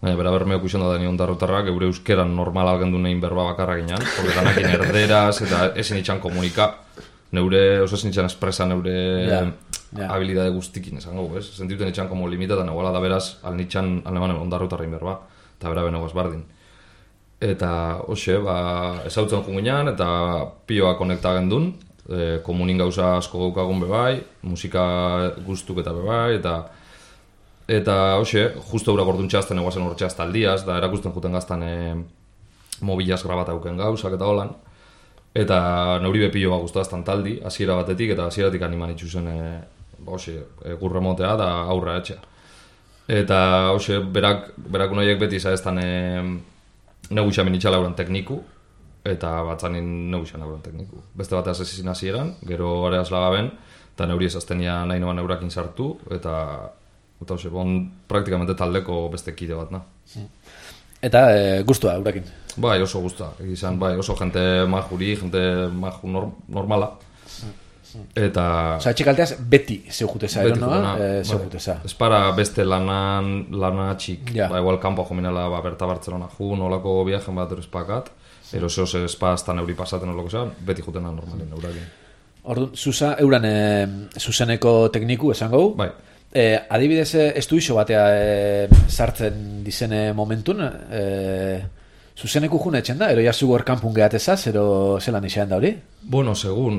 Baina, bera Bermeoko izan da dani ondarrotarrak, eure euskeran normal algendu nehin berba bakarra ginean, porque danakin erderaz, eta ezin itxan komunika. Neure, oso ezin itxan espresa neure yeah, yeah. habilidade guztikin esango, ez? Sentituten itxan como limitatan, egoala da beraz, alnitxan aleman ondarrotarrein berba, eta bera benegoaz bardin. Eta, hoxe, ba, ezautzen junginan, eta pioa konekta gendun, e, komunin gauza asko gaukagun bebai, musika guztuk eta bebai, eta eta, hoxe, justo eura gorduntxeazten egoazen hortxeaz taldiaz, da erakusten juten gaztan e, mobilaz grabata auken gauzak eta holan. Eta neuri bepillo bat guztaztan taldi, hasiera batetik, eta hasieratik animan itxuzen e, ba, e, gurremotea da aurra etxea. Eta, hoxe, berak, berak unoiek beti zaeztan e, negu xamin itxala euren tekniku, eta batzanin negu xan euren tekniku. Beste bateaz ez izin hasieran, gero areaz lagaben, eta neuri ezaztenia nahi noan eurakin sartu, eta, eta hoxe, bon, praktikamente taldeko beste kide bat, na. Eta e, gustua eurakin? Bai, oso guztua, egizan, bai, oso jente majuri, jente maju norm, normala. Eta... Osa, etxekalteaz beti zeu juteza, ero noa? E, zeu juteza. Ez para beste lanan, lana txik, ja. Ba, igual kanpo jominela, ba, berta Bartzelona ju, nolako viajen bat erospakat, ero zeo ze espaztan euri pasaten olako zean, beti jutena normalin eurakin. Orduan, zuza, euran e, zuzeneko tekniku esango? Bai. Eh, adibidez, estuixo batea eh, sartzen dizene momentun, eh, zuzeneku june etxen da, ero jasu gorkanpun gehatezaz, ero zelan izan da hori? Bueno, segun,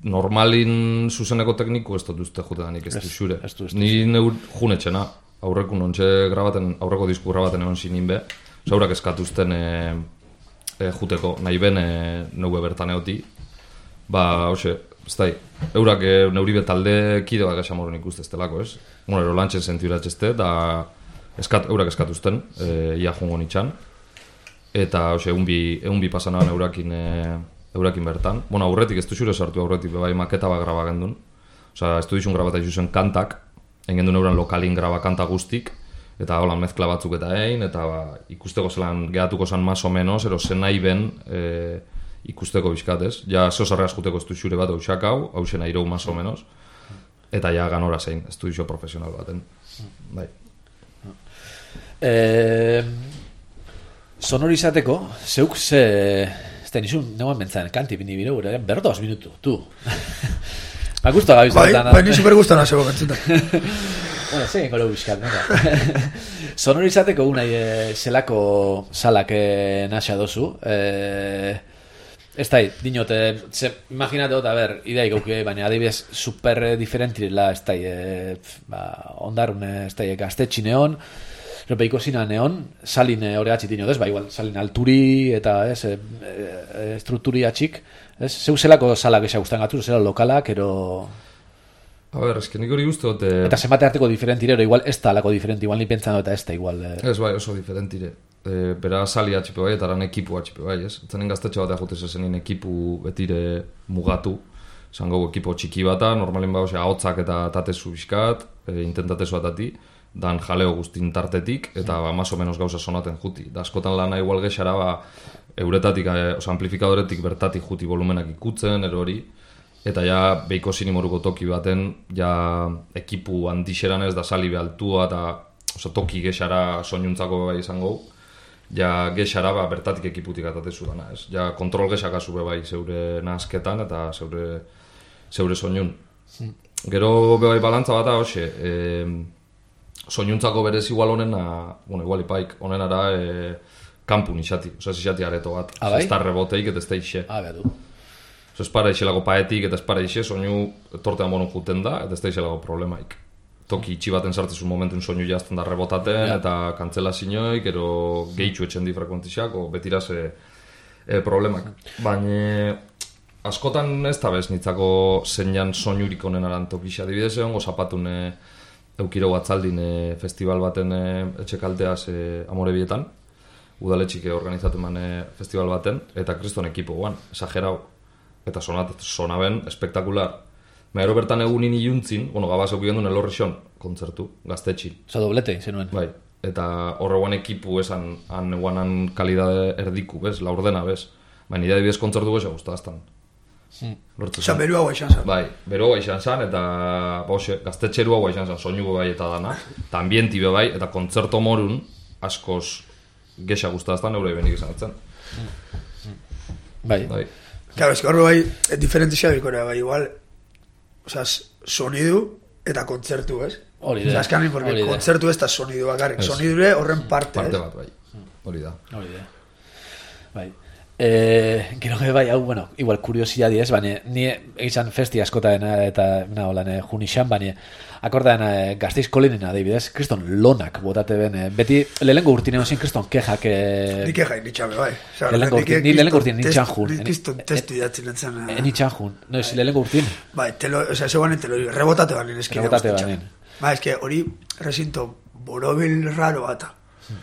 normalin zuzeneko tekniku ez dut uste jutedanik ez du xure. Ni neur june etxena, aurreku nontxe grabaten, aurreko disku grabaten egon zinin be, zaurak eskatuzten e, e, juteko, nahi ben e, neue bertan eoti, ba, hoxe, ez da, eurak e, neuribe talde kide bat gaxamoron ikuste ez delako, ez? Bueno, ero lantxen sentiuratxezte, da eskat, eurak eskatuzten, e, ia jungo nitxan, eta, hoxe, egun bi, egun bi pasanaban eurakin, e, eurakin bertan. Bueno, aurretik, ez du xure sartu aurretik, bai maketa bat graba gendun. Osa, ez du dizun grabata izuzen kantak, engendun euran lokalin graba kanta guztik, eta holan mezkla batzuk eta egin, eta ba, ikusteko zelan gehatuko zan mas o menos, ero zen nahi ben, e, ikusteko bizkatez. Ja, zeo zarreaz juteko ez du xure bat hausak hau, hau zen aireu mas o menos, eta ja ganora zein, ez du iso profesional baten. Bai. Eh, sonorizateko, zeuk ze... Ez da, nizun, neguan bentzaren, kanti bini bire gure, berdoz minutu, tu. Ba, guztu agabiz. Bai, bai, nizu berguztan azego bentzutan. Bueno, zein golo bizkat, venga. Sonorizateko unai e, zelako salak e, naxa dozu. E, ez da, dinote, ze, imaginate dut, a ber, idei gauke, baina adibidez super diferentirela, ez da, e, ba, ondarun, ez da, gaztetxi neon, repeiko zina neon, salin hori atxit dinotez, ba, igual, salin alturi eta, ez, e, e, estrukturi atxik, ez, zeu zelako salak esa guztan gatu, zela lokalak, ero... A ber, eski nik hori uste dut... Eta zenbate arteko diferentire, igual ez da alako diferenti, igual ni pentsan eta ez da igual... Eh. Ez bai, oso diferentire. E, bera sali atxipe bai, eta aran ekipu atxipe bai, ez? Zanen gaztetxe bat ajutez ezenin ekipu betire mugatu, zango ekipo txiki bata, normalin ba, osea, ahotzak eta tatezu bizkat, e, intentatezu atati, dan jaleo guztin tartetik, eta ba, maso menos gauza sonaten juti. Da askotan lana igual gexara, ba, euretatik, e, oza, amplifikadoretik bertatik juti volumenak ikutzen, ero hori, eta ja behiko sinimoruko toki baten ja ekipu handixeran ez da sali behaltua eta oso, toki gexara soinuntzako bai izango ja gexara ba, bertatik ekiputik atatezu dana ez ja kontrol gexak azu bai zeure nazketan eta zeure zeure soinun hmm. Gero bai balantza bat da hoxe e, soinuntzako berez igual honena bueno, igual ipaik honenara e, kampun isati oza isati areto bat ah, bai? Ez da reboteik eta ez da ixe ah, bedu Ez para ixelako paetik eta ez para ixe, soinu tortean bonon juten da, eta ez da ixelako problemaik. Toki itxi baten sartzezun momentun soinu jazten da rebotaten, ja. Eta kantzela zinioik, ero gehitxu etxen di frekuentixak, o betiraz e, e, problemak. Baina askotan ez da bez nitzako zeinan soinurik honen aran tokixa. Adibidez egon gozapatun e, eukiro batzaldin e, festival baten e, etxekalteaz e, Amorebietan, udaletxik organizatu eman e, festival baten, eta kriston ekipo guan, esagerau. Eta sonat, sonaben, espektakular. Maero bertan egunin iluntzin, bueno, gabaz eukien duen elorrixon, kontzertu, gaztetxin. Osa doblete, zenuen. Bai, eta horreguan ekipu esan, han eguanan kalidade erdiku, bez, laurdena, bez. Baina idea dibidez kontzertu goza guztaztan. Hmm. Osa, beru hau aixan zan. Bai, beru hau aixan zan, eta, bose, gaztetxeru hau aixan zan, soinu bai eta dana. Eta ambienti be bai, eta kontzerto morun, askoz gexa guztaztan, eurei benik izan etzen. Bai. Bai. Claro, es que horro bai, diferentizia bikorea bai, igual, osea, sonidu eta kontzertu, ez? Hori da. Osea, eskan porque kontzertu ez da sonidu bakarrik, sonidure horren parte, parte ez? bat, bai, hori da. Hori da. Bai. Eh, gero que bai, hau, bueno, igual kuriosidadi ez, baina ni egizan festi askotaena eta na holan eh, junixan, baina akordan eh, Gasteiz kolinen adibidez, kriston lonak botate ben, eh, beti lehengo urtinen ozien kriston kejak eh, ni keja initxame, bai. Lehengo urtinen, ni lehengo urtinen nintxan jun. Ni kriston testu idatzen entzan. Nintxan jun, no, ez lehengo urtinen. Bai, telo, o sea, zegoan telo, rebotate banin eskide. Rebotate banin. Bai, eske hori resinto borobil raro bata.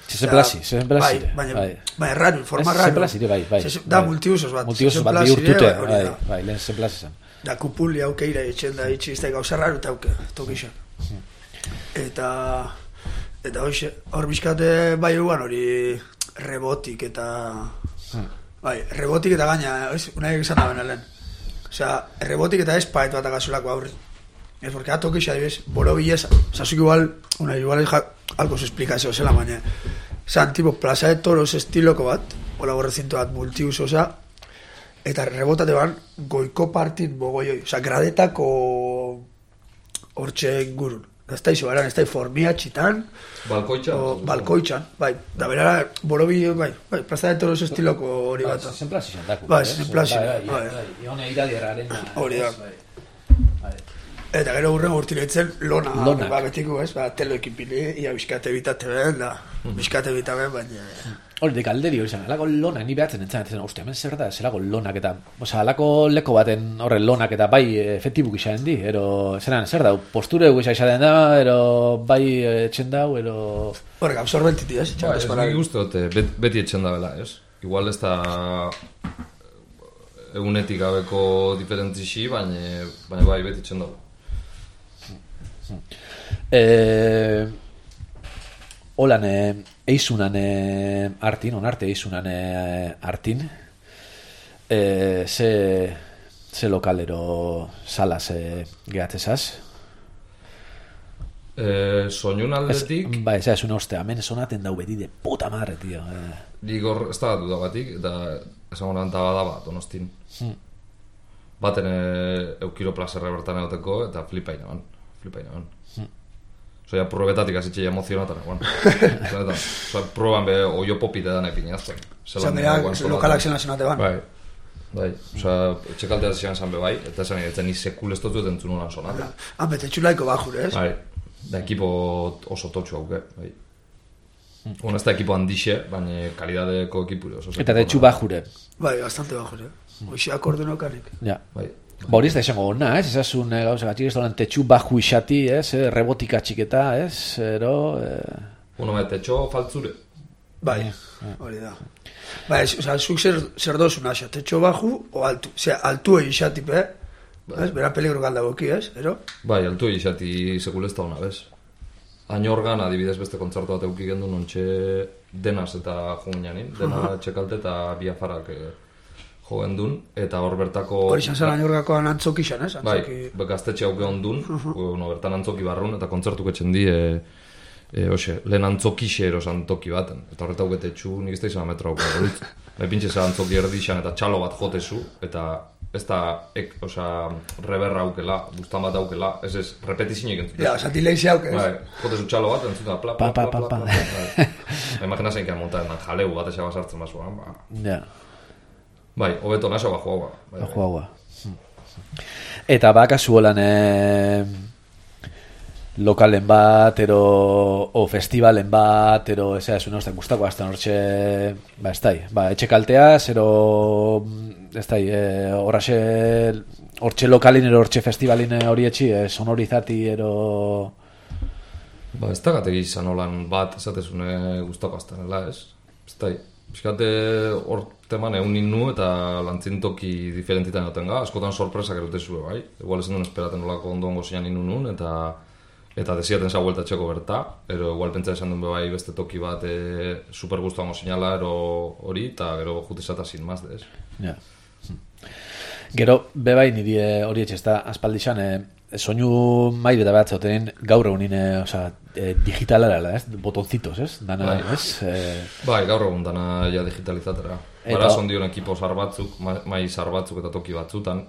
Se se plasi, se se plasi. Bai, baina, bai, raro, forma raro. Se plasi, bai, bai. Da multiusos bat. Multiusos bat bihurtute, bai, bai, lehen se plasi zen. Da kupuli aukeira etxen da itxi izte gauza raro eta auke, tokixak. Eta, eta hoxe, hor bizkate bai eguan hori rebotik eta, bai, rebotik eta gaina, ez, unai egizan da benelen. Osea, rebotik eta ez paet bat agazulako aurri. Es porque a toque xa dibes, boro billeza. O sea, igual, una igual es algo se explica eso, se la mañana. O sea, tipo plaza de toros estiloko bat, o la recinto bat multiuso, o sea, eta rebota te van goiko partin bogoioi, o sea, gradetako hortxe ingurun. Ez da izo, eran, ez da formia txitan, balkoitxan, o, balkoitxan, bai, da berara, boro billo, bai, bai, plaza de toros estiloko hori bat. Zen plasi zandaku. Bai, zen plasi, bai. Ione iradiarraren. Hori da. Eta gero urren urtiletzen lona, Lonak. Ba, betiko, ez, ba, telo ekipili, ia bizkate bitate ben, da, bizkate bitaben, baina... Hori, dek alderi hori zen, alako lonak, ni behatzen entzan, etzen, ostia, hemen zer da, zerako lonak eta, oza, alako leko baten horren lonak eta bai efektibuk izan di, ero, zeran, zer da, posture egu izan da, ero, bai etxen dau, ero... Horrek, absorbentiti, ez, Ba, ez nik uste dute, bet, beti etxen da bela, ez? Igual ez da egunetik gabeko diferentzixi, baina, baina bai beti etxen dago. Eh, holan eh, eizunan eh, artin, onarte eizunan eh, artin eh, ze, ze lokalero salaz eh, gehatzezaz? Eh, soinun aldetik... Ba, ez da, ez una ostea, hemen sonaten dau beti de puta madre, tío. Eh. Digor, ez da dudagatik, eta esan honan tabada bat, donostin. Hmm. Baten e, eukiro plazerra bertan egoteko, eta flipain eman. Flipain eman. Hmm. Osea, probetatik azitxe emozionatan, bueno. Osea, proban be oio popite dan epinazten. Osea, berak lokalak zena zenate ban. Bai, bai. Osea, etxekaltea zian zan be bai, eta esan etzen ni sekul ez dut entzun honan sonate. Han bete txulaiko bajure, ez? Bai, da ekipo oso totxu hauke, bai. Bueno, ez da ekipo handixe, baina kalidadeko ekipu oso. Eta detxu bajure. Bai, bastante bajure. Oixiak ordenokanik. Ja. Bai. Ba hori ez da esango ona, ez? Ezasun e, gauza gatxik ez dolan tetxu baju isati, ez? E, rebotika txiketa, ez? Ero... E... Uno, me tetxo faltzure. Bai, hori da. Bai, oza, zuk zer, zer dozun axa, tetxo baju o altu. Osea, altu egin xatipe, ez? Bera peligro galdagoki, ez? Ero? Bai, altu egin xati sekulezta hona, bez? Añorgan, adibidez beste kontzertu bat euki gendu nontxe denaz eta jungianin, dena txekalte eta biafarak e, jo gendun, eta hor bertako... Hori izan zen Añorgakoan antzoki xan, ez? Bai, gaztetxe hauke ondun, no, bertan antzoki barrun, eta kontzertu ketxen di, e, e, oxe, lehen antzokixe erosan toki baten, eta horreta hauke txu, nik ez da izan metra hauke, hori, epintxe zen antzoki erdi xan, eta txalo bat jotezu, eta ez da, ek, oza, reberra aukela, bustan bat aukela, ez ez, repetizinek entzut. Ja, zati lehizia auke, ez? Bai, jotezu txalo bat, entzut da, pla, pla, pla, pla, pla, pla. Imagina zein kean montaden, jaleu bat esa basartzen basuan, ba. Ja. Bai, hobeto naso bajo haua. Bajo haua. Eta bakazu holan eh, lokalen bat, ero, o festivalen bat, ero, ez da, esun hostak guztako azten hortxe, ba, ez da, ba, etxe kaltea, zero, ez da, eh, horraxe, hortxe lokalin, ero, hortxe festivalin hori etxi, eh, sonorizati, ero... Ba, ez da gategi izan holan bat, esatezune guztako aztenela, ez? Ez da, bizkate hor teman egun ninu eta lantzintoki diferentitan joten ga, askotan sorpresak erotezue, bai? Igual ezen duen esperaten olako ondongo zian ninu nun, eta eta desiaten za vuelta txeko berta, ero igual pentsa esan duen bai beste toki bat e, super gustuango sinala, ero hori, eta gero jutizata sin maz, ez? Ja. Gero, bebai niri hori etxe, ez da, aspaldixan, e, soinu maire eta behatze hoten gaur egunin, e, oza, e, digitalara, ez? Botoncitos, ez? Dana, bai. Ez? E... Bai, gaur egun dana ja digitalizatera. Eta... Bara sondion ekipo zar batzuk, mai zar batzuk eta toki batzutan,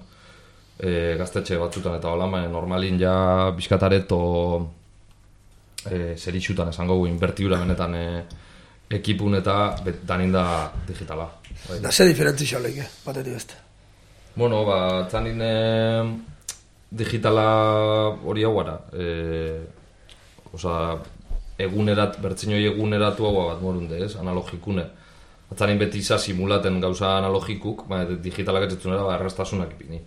e, gaztetxe batzutan eta hola, normalin ja bizkatareto e, zerixutan esango gu, inbertiura benetan e, ekipun eta bet, danin da digitala. Bai. Da ze diferentzi xaleike, bateri beste. Bueno, ba, zanin e, digitala hori hau gara. E, Osa, egunerat, bertzinoi eguneratu hau bat morunde, ez? Analogikune. Atzarin beti iza simulaten gauza analogikuk, ba, digitalak etxetzunera, ba, errastasunak ipini.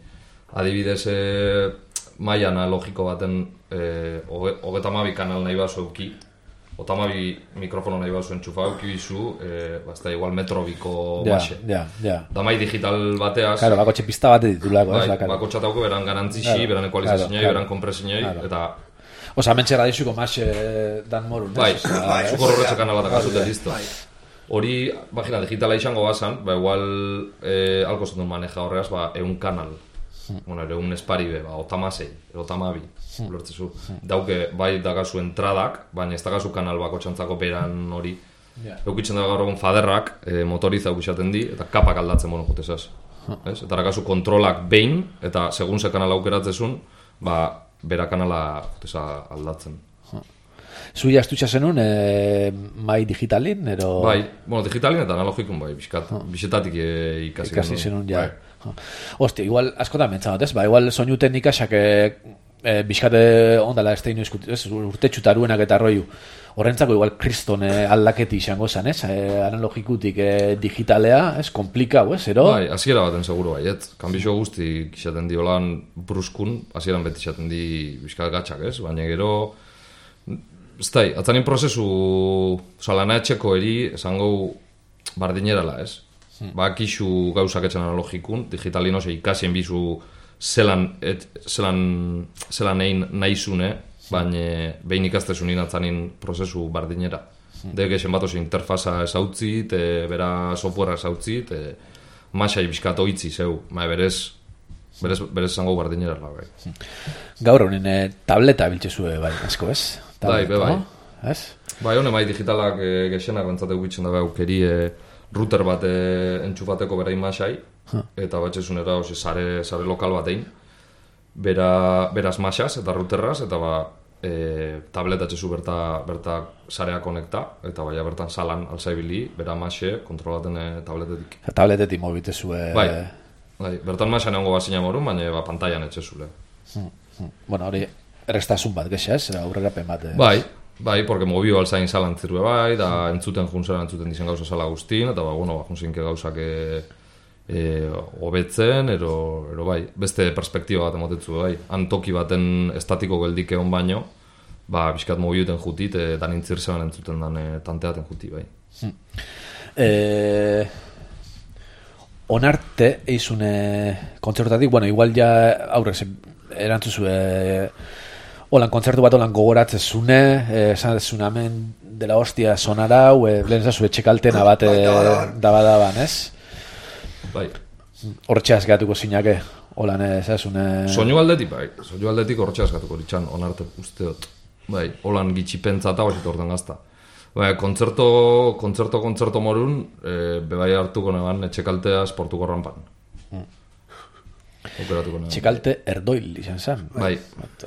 Adibidez, e, maia analogiko baten e, hogeta mabi kanal nahi bazo euki, ota mabi mikrofono nahi bazo entxufa euki bizu, e, ba, ez da igual metrobiko base. Ja, ja, da mai digital bateaz... Claro, bako txepista bat ditulako, bai, ez? Bai, bako txatauko beran garantzixi, claro, beran ekualizazionai, claro, beran kompresioi, claro. Eta... Osa, mentxe radixuko mas eh, dan morun, bai, ez? Bai, bai, zuko horretxe kanal bat akazute, listo. Hori, imagina, digitala izango bazan, ba, igual, eh, alko zetun maneja horreaz, ba, eun kanal. Hmm. Bueno, eun esparibe, ba, otamasei, otamabi, hmm. Lortzezu. Hmm. Dauke, bai, dagazu entradak, baina ez dagazu kanal bako txantzako beran hori. Yeah. Eukitzen da gaur egun faderrak, eh, motoriza eukizaten di, eta kapak aldatzen mono jutezaz. Hmm. Eta dagazu kontrolak behin, eta segun ze kanal aukeratzezun, ba, bera kanala juteza aldatzen. Zui astutxa zenun, e, mai digitalin, ero... Bai, bueno, digitalin eta analogikun bai, biskat, oh. Bisetatik e, ikasi, ikasi zenun, ja. Bai. Hostia, igual, askotan mentzanot, ez? Ba, igual soinu teknikasak e, e, biskate ondala ez teinu eskutu, ez? Urte txutaruenak eta roiu. Horrentzako igual kriston e, aldaketi izango zen, ez? E, analogikutik e, digitalea, ez? Komplikau, ez? Ero? Bai, hasiera baten seguro bai, ez? Kanbixo guzti izaten di holan bruskun, hasieran beti izaten di biskat gatxak, ez? Baina gero... Ez da, atzanin prozesu salana etxeko eri esango bardinerala, ez? Hmm. Ba, kixu gauzak etxan analogikun, digitalin ose ikasien bizu zelan, et, zelan, zelan egin nahizune, baina behin ikastezunin atzanin prozesu bardinera. Hmm. Dek esen bat oso interfaza ezautzit, e, bera softwarea ezautzit, e, masai bizkato itzi zeu, ma berez, berez, berez esango bardinerala, bai. Hmm. Gaur honen e, tableta biltzezue, bai, asko, ez? Bai, be bai. Ez? Bai, hone mai digitalak e, gexenak bentzate guitzen dabe aukeri e, router bat e, entxufateko berain masai, huh. Eta batxezunera osi sare, sare lokal bat egin, bera, beraz masaz eta routerraz, eta ba, e, tableta etxezu berta, berta sarea konekta, eta baina bertan salan alzaibili, bera maxe, kontrolaten e, tabletetik. Tabletetik mobitezue... Bai, bai, bertan maxe neongo bazina morun, baina ba, pantailan etxezule. Hmm, hmm. Bueno, hori, errestasun bat, gexa, ez? Aurrerapen bat. Ez? Bai, bai, porque mobio alzain salan zirue bai, da entzuten junzera entzuten dizen gauza sala guztin, eta ba, bueno, ba, junzinke gauzak e, e, hobetzen, ero, ero bai, beste perspektiba bat emotetzu bai. Han toki baten estatiko geldike on baino, ba, bizkat mobiuten jutit, e, dan intzirzean entzuten dan e, tanteaten juti bai. Hmm. E... Onarte, eizune kontzertatik, bueno, igual ja aurrez erantzuzue holan kontzertu bat holan gogoratzezune, esan dezune hemen dela hostia sonarau, e, lehen zazue txekaltena bat e, dabadaban, ez? Bai. Hortxeaz gehatuko zinake, holan ez, zazune... Soinu aldetik, bai, soinu aldetik hortxeaz gehatuko ditxan, Onarte usteot. Bai, holan gitxipentza eta hoxit orten gazta. Bai, kontzerto, kontzerto, kontzerto morun, e, bebai hartuko neban etxekaltea esportuko rampan. Mm. Operatuko neban. Txekalte erdoil izan zen. Bai.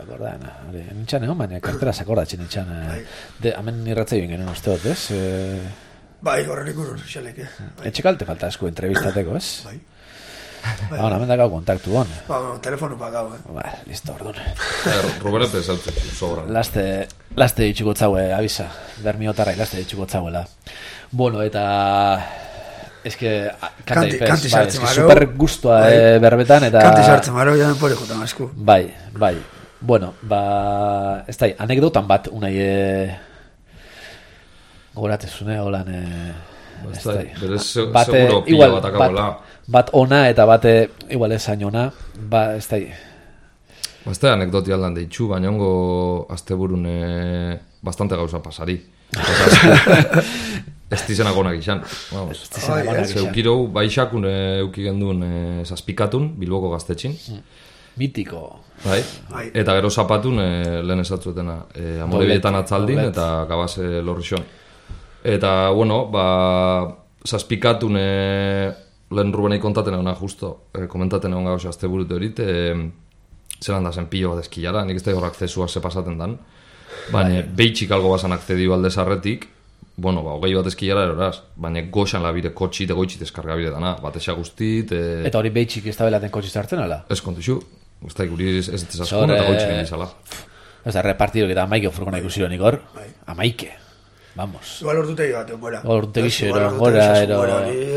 Akordan, nintxan egon, baina kartera sakordatzen nintxan. De, hemen irratzaioen genuen usteot, ez? E... Bai, horren ikurun, xalek, eh? Etxekalte falta asko entrevistateko, ez? Bai. Ba, hemen dakau kontaktu hon. Ba, bueno, telefonu pagau, eh? Ba, listo, orduan. Rubere pesautzen, sobran. Laste, laste ditxuko tzaue, abisa. Bermi otarrai, laste ditxuko tzauela. Bueno, eta... Ez que... Kanti, kanti sartzen maro. Super guztua bai. E, berbetan, eta... Kanti sartzen maro, ja pore jutan asku. Bai, bai. Bueno, ba... Ez da, anekdotan bat, unai... E... Goratezune, holan... E... Ez da, berez seguro pila bat akabola. Bat ona eta bate igual esain ona, ba, ez da... Ba, ez da anekdoti aldan deitxu, baina ongo asteburun e, bastante gauza pasari. Ez dizenak onak izan. Vamos. Zeukirou, baixakun euki genduen e, zazpikatun, Bilboko gaztetxin. Mitiko. Bai. Eta gero zapatun e, lehen esatzuetena. E, Amorebietan atzaldin eta gabase lorrixon. Eta, bueno, ba, zazpikatun e, lehen Rubenei kontaten egona justo, e, komentaten egon gauza azte burute horit, e, zelan da zen pilo bat eskilara, nik ez da hor akzesua ze pasaten dan, baina behitxik algo bazan akzediu alde zarretik, bueno, ba, hogei bat eskilara eroraz, baina goxan labire kotxit egoitxit eskargabire dana, bat esa guztit... E... Eta hori behitxik ez da belaten kotxit hartzen, ala? Ez kontixu, ez da ikuri ez ez askun eta goitxik egin izala. Ez da, repartidok eta amaike ofurkona ikusiron ikor, amaike. Vamos. Igual ordutegi bat, gora. Ordutegi xero, gora, ero...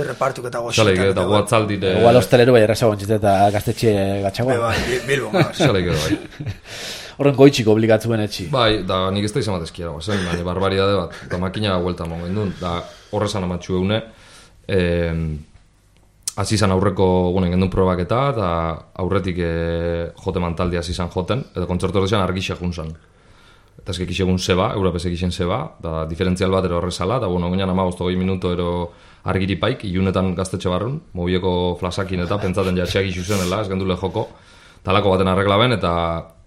Repartuk eta goxetan. Xaleik eta guatzaldire... Igual ostelero bai erraza gontxite eta gaztetxe gatxagoa. Bai, bilbo, bai. Xaleik edo bai. Horren goitxik obligatzuen etxi. Bai, da nik ez da izan bat eskiara, zen, baina barbaridade bat, eta makina huelta mongo indun, da horrezan amatxu eune, eh, azizan aurreko gunen gendun probak eta, eta aurretik eh, jote mantaldi azizan joten, eta kontzertu horrezian argixe junzan. Eta ezkek isegun zeba, eurapesek isen zeba, da diferentzial bat ero horrezala, eta bueno, ginean ama bostogei minuto ero argiripaik, ilunetan gaztetxe barrun, mobieko flasakin eta pentsaten jatxeak isu zenela, ez gendule joko, talako baten arreglaben eta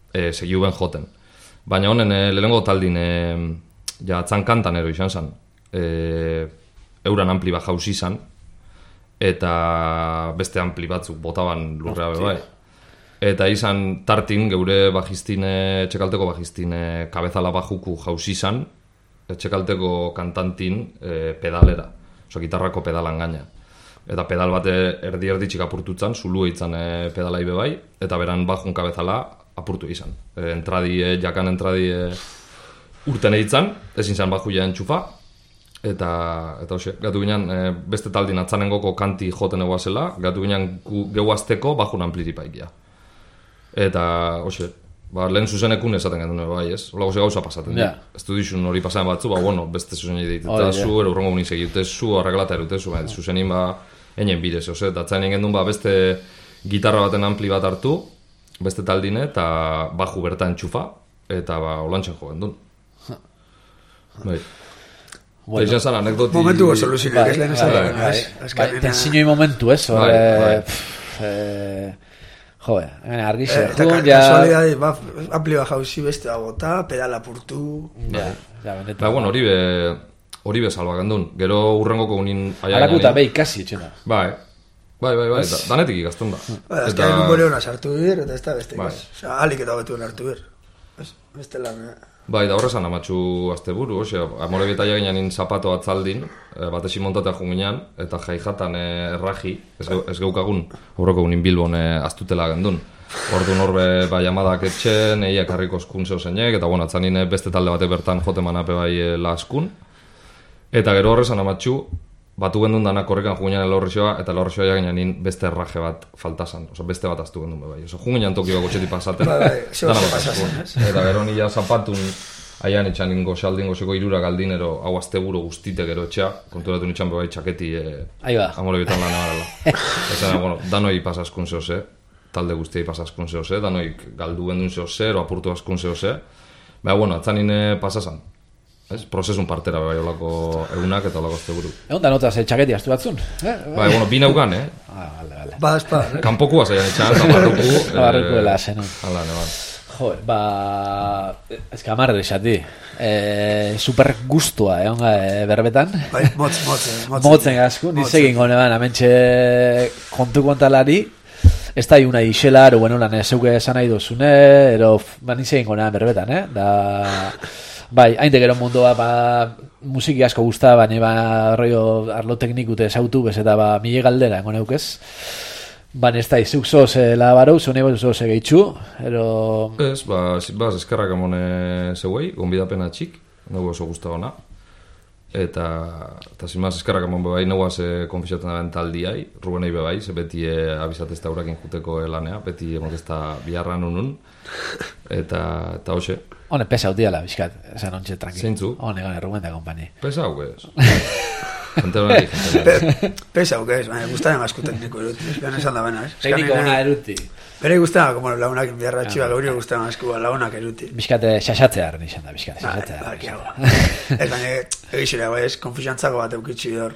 e, segiu ben joten. Baina honen e, lehenengo taldin, e, ja atzankantan ero izan zen, e, euran ampli bat jauzi izan, eta beste ampli batzuk botaban lurrea be bai. Eta izan tartin, geure bajistine, txekalteko bajistine kabezala bajuku jauzi izan, txekalteko kantantin e, pedalera, oso gitarrako pedalan gaina. Eta pedal bate erdi-erdi txik apurtutzan, zulu eitzan e, pedalai bebai, eta beran bajun kabezala apurtu izan. E, entradi, e, jakan entradi e, urten eitzan, ezin zan baju ja entxufa, eta, eta hoxe, gatu ginen e, beste taldin atzanengoko kanti joten egoazela, gatu ginen geuazteko bajun ampliripaikia. Eta, hoxe, ba, lehen zuzenekun esaten gendun bai, ez? Ola goze gauza pasaten, yeah. Ez du dizun hori pasatzen batzu, ba, bueno, beste zuzenei deiteta zu, ero urrongo uniz egitezu, arreglata erutezu, ba, zuzenin, ba, enen bidez, ose, eta atzain gendun, ba, beste gitarra baten ampli bat hartu, beste taldine, eta baju berta entxufa, eta, ba, olantxan jo gendun. Bai. Bueno, eta izan anekdoti... Momentu gozo luzinek, ez lehen esan. Bai, tenzinoi momentu, ez? Bai, joe, argixe. Eta kasualidade, ba, ampli bat jauzi beste agota, pedala purtu... Ja, ja, benetan. Ba, bueno, hori be, hori be salba gendun. Gero urrengoko unin... Harakuta behi kasi etxena. Bai, bai, bai, bai, danetik ikazten da. Ba, ez que egun bore hona sartu bir, eta ez da beste ikaz. Osa, alik eta betuen hartu bir. Beste lan, Bai, da horrezan amatxu asteburu, ose, amore betaia ginen in zapato atzaldin, e, batesi montatea junginan, eta jaijatan e, erraji, ez, ge, ez geukagun, horroko unin Bilbon e, astutela gendun. Orduan horbe bai amadak etxen, eiak harriko eskun zeo zeinek, eta bueno, atzanin beste talde bate bertan jote manape bai e, la askun. Eta gero horrezan amatxu, batu gendun danak horrekan junginan elorrixoa, eta elorrixoa jaginan beste erraje bat faltazan, oso beste bat aztu gendun bai. Oso junginan tokio bako txeti pasaten, dana pasazen, eta gero nila zapatun, aian etxan ingo xaldin gozeko irura galdinero hau asteburu guztite gero etxea, konturatu nitxan bebai txaketi e, amore bitan lan emarela. Ezena, bueno, danoi pasaskun zehoz, talde guztiai pasaskun zehoz, danoi galdu gendun zehoz, ero apurtu askun zehoz. Baina, bueno, atzanin pasasan. Ez, prozesun partera bai olako egunak eta olako asteburu. Egon da notaz, txaketi astu batzun? Eh? Bai, bueno, bina ugan, eh? Ah, vale, vale. Ba, espada, eh? Kanpokua zaian etxan, eta barruku. Barruku dela, zenun. Hala, neban. Jo, ba... Ez que amarre esati. Eh, super gustua, egon eh, berbetan. Bai, motz, motz, motz. Motzen gasku, nizegin gone ban, amentxe kontu kontalari. Ez da iuna ixela, ero bueno, lan ezeuke esan nahi duzune, ero, ba, nizegin gone ban berbetan, eh? Da... Bai, hain de gero mundua, ba, musiki asko guzta, baina ba, rollo arlo teknikute zautu, bez eta ba, mile galdera, engon eukez. Baina ez da, izuk zoz eh, labarau, zone bat zoz egitxu, ero... Ez, ba, ba eskerrak emone zeuei, gonbidapena txik, nago oso guztagona. Eta, eta zimaz, eskerrak emon bebai, nagoaz e, konfixatzen da taldiai, Rubenei bebai, ze beti e, abizatezta urakin juteko lanea, beti emotezta biharran unun, eta, eta hoxe. Hone, pesa utiala, bizkat, esan ontxe tranqui. Zeintzu? Hone, gane, Ruben da kompani. Pesa hau, ez? Gente hori, gente hori. Pesa hau, ez? Baina guztaren asko tekniko eruti, ez esan da bena, ez? Tekniko ona eruti. Bere guztaren, como launak biharra txiba, gauri guztaren asko launak eruti. Bizkate, xaxatzea arren izan da, bizkate, xaxatzea arren. Ez baina, egizera, ez, konfisantzako bat eukitzi hor.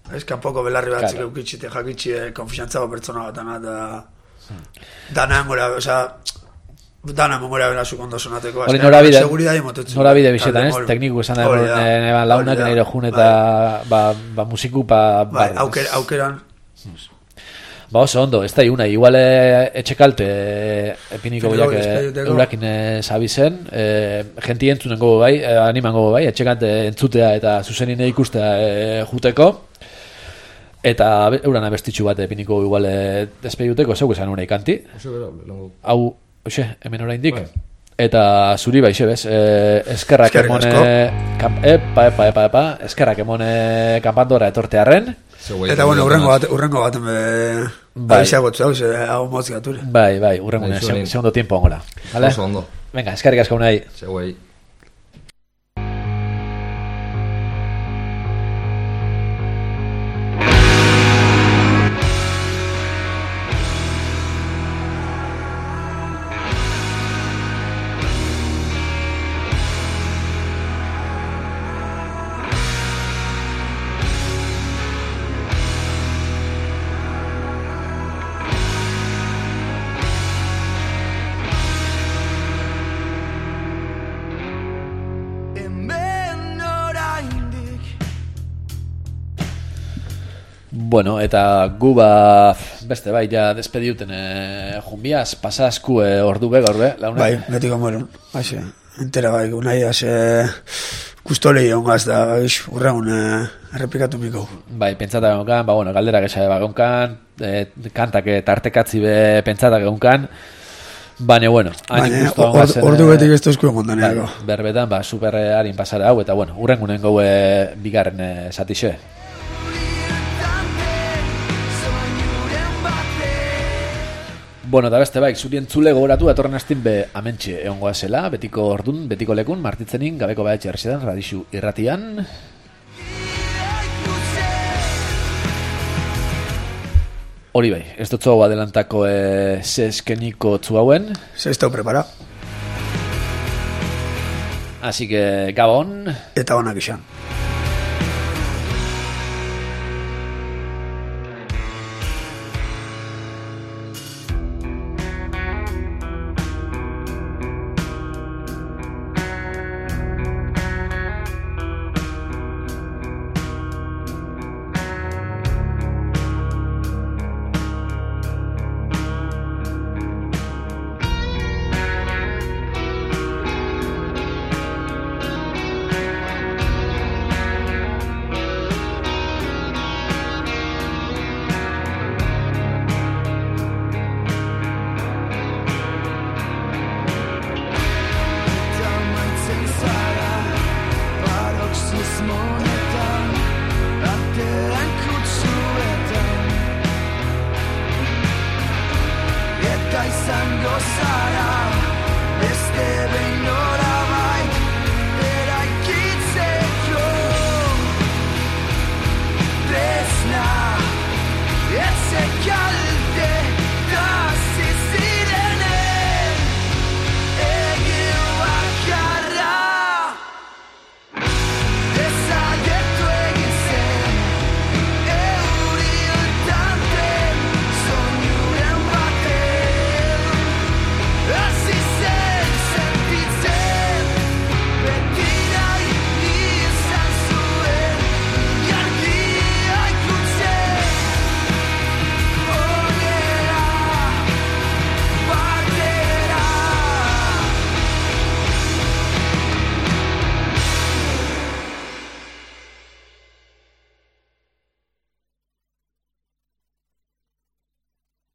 Ez, kanpoko belarri batzik eukitzi, te jakitzi, konfisantzako pertsona bat ana, da... Dana emora, oza... Dana memoria bera zu kondo sonateko. Hori norabide, norabide, norabide bizetan, ez? Tekniku esan da, neban launak nire jun eta ba musiku pa... Bai, aukeran. Ba oso ondo, ez da iuna, igual etxekalte epiniko biak eurakin zabizen, genti entzunen gogo bai, animan gogo bai, etxekante entzutea eta zuzenine ikustea juteko, eta euran abestitxu bat epiniko igual despedituteko, zeuk esan unai kanti. Hau, oxe, hemen oraindik. Eta zuri baixe, bez, eskerrak emone... Epa, epa, epa, epa, eskerrak emone kanpandora etortearen. Eta bueno, urrengo bat, urrengo bat abisagotu hau, hau motz gaturi. Bai, bai, urrengo segundo tiempo ongola. Oso ondo. Venga, eskerrik asko unai. Zeguei. Bueno, eta gu ba beste bai ja despediuten eh junbiaz pasasku eh, ordu be gaur be launa. Bai, betiko moron. Hase, entera bai, unai hase kustolei ongaz da, urraun eh, errepikatu miko. Bai, pentsata egonkan, ba bueno, galdera gesa bagonkan, eh kantak tartekatzi be pentsata egonkan. Baina, bueno, hain gustu gongazen... Ordu betik ez tozko egondaneako. Bai, berbetan, ba, super harin pasara hau, eta, bueno, urrengunen gaue bigarren satixe. Bueno, eta beste baik, zuri entzule gogoratu datorren astin be amentxe egongoa zela, betiko ordun, betiko lekun, martitzenin, gabeko baetxe erresetan, radixu irratian. Hori bai, ez dut zau adelantako e, ze eskeniko tzu hauen. Se estau prepara. Así que, gabon. Eta onak izan.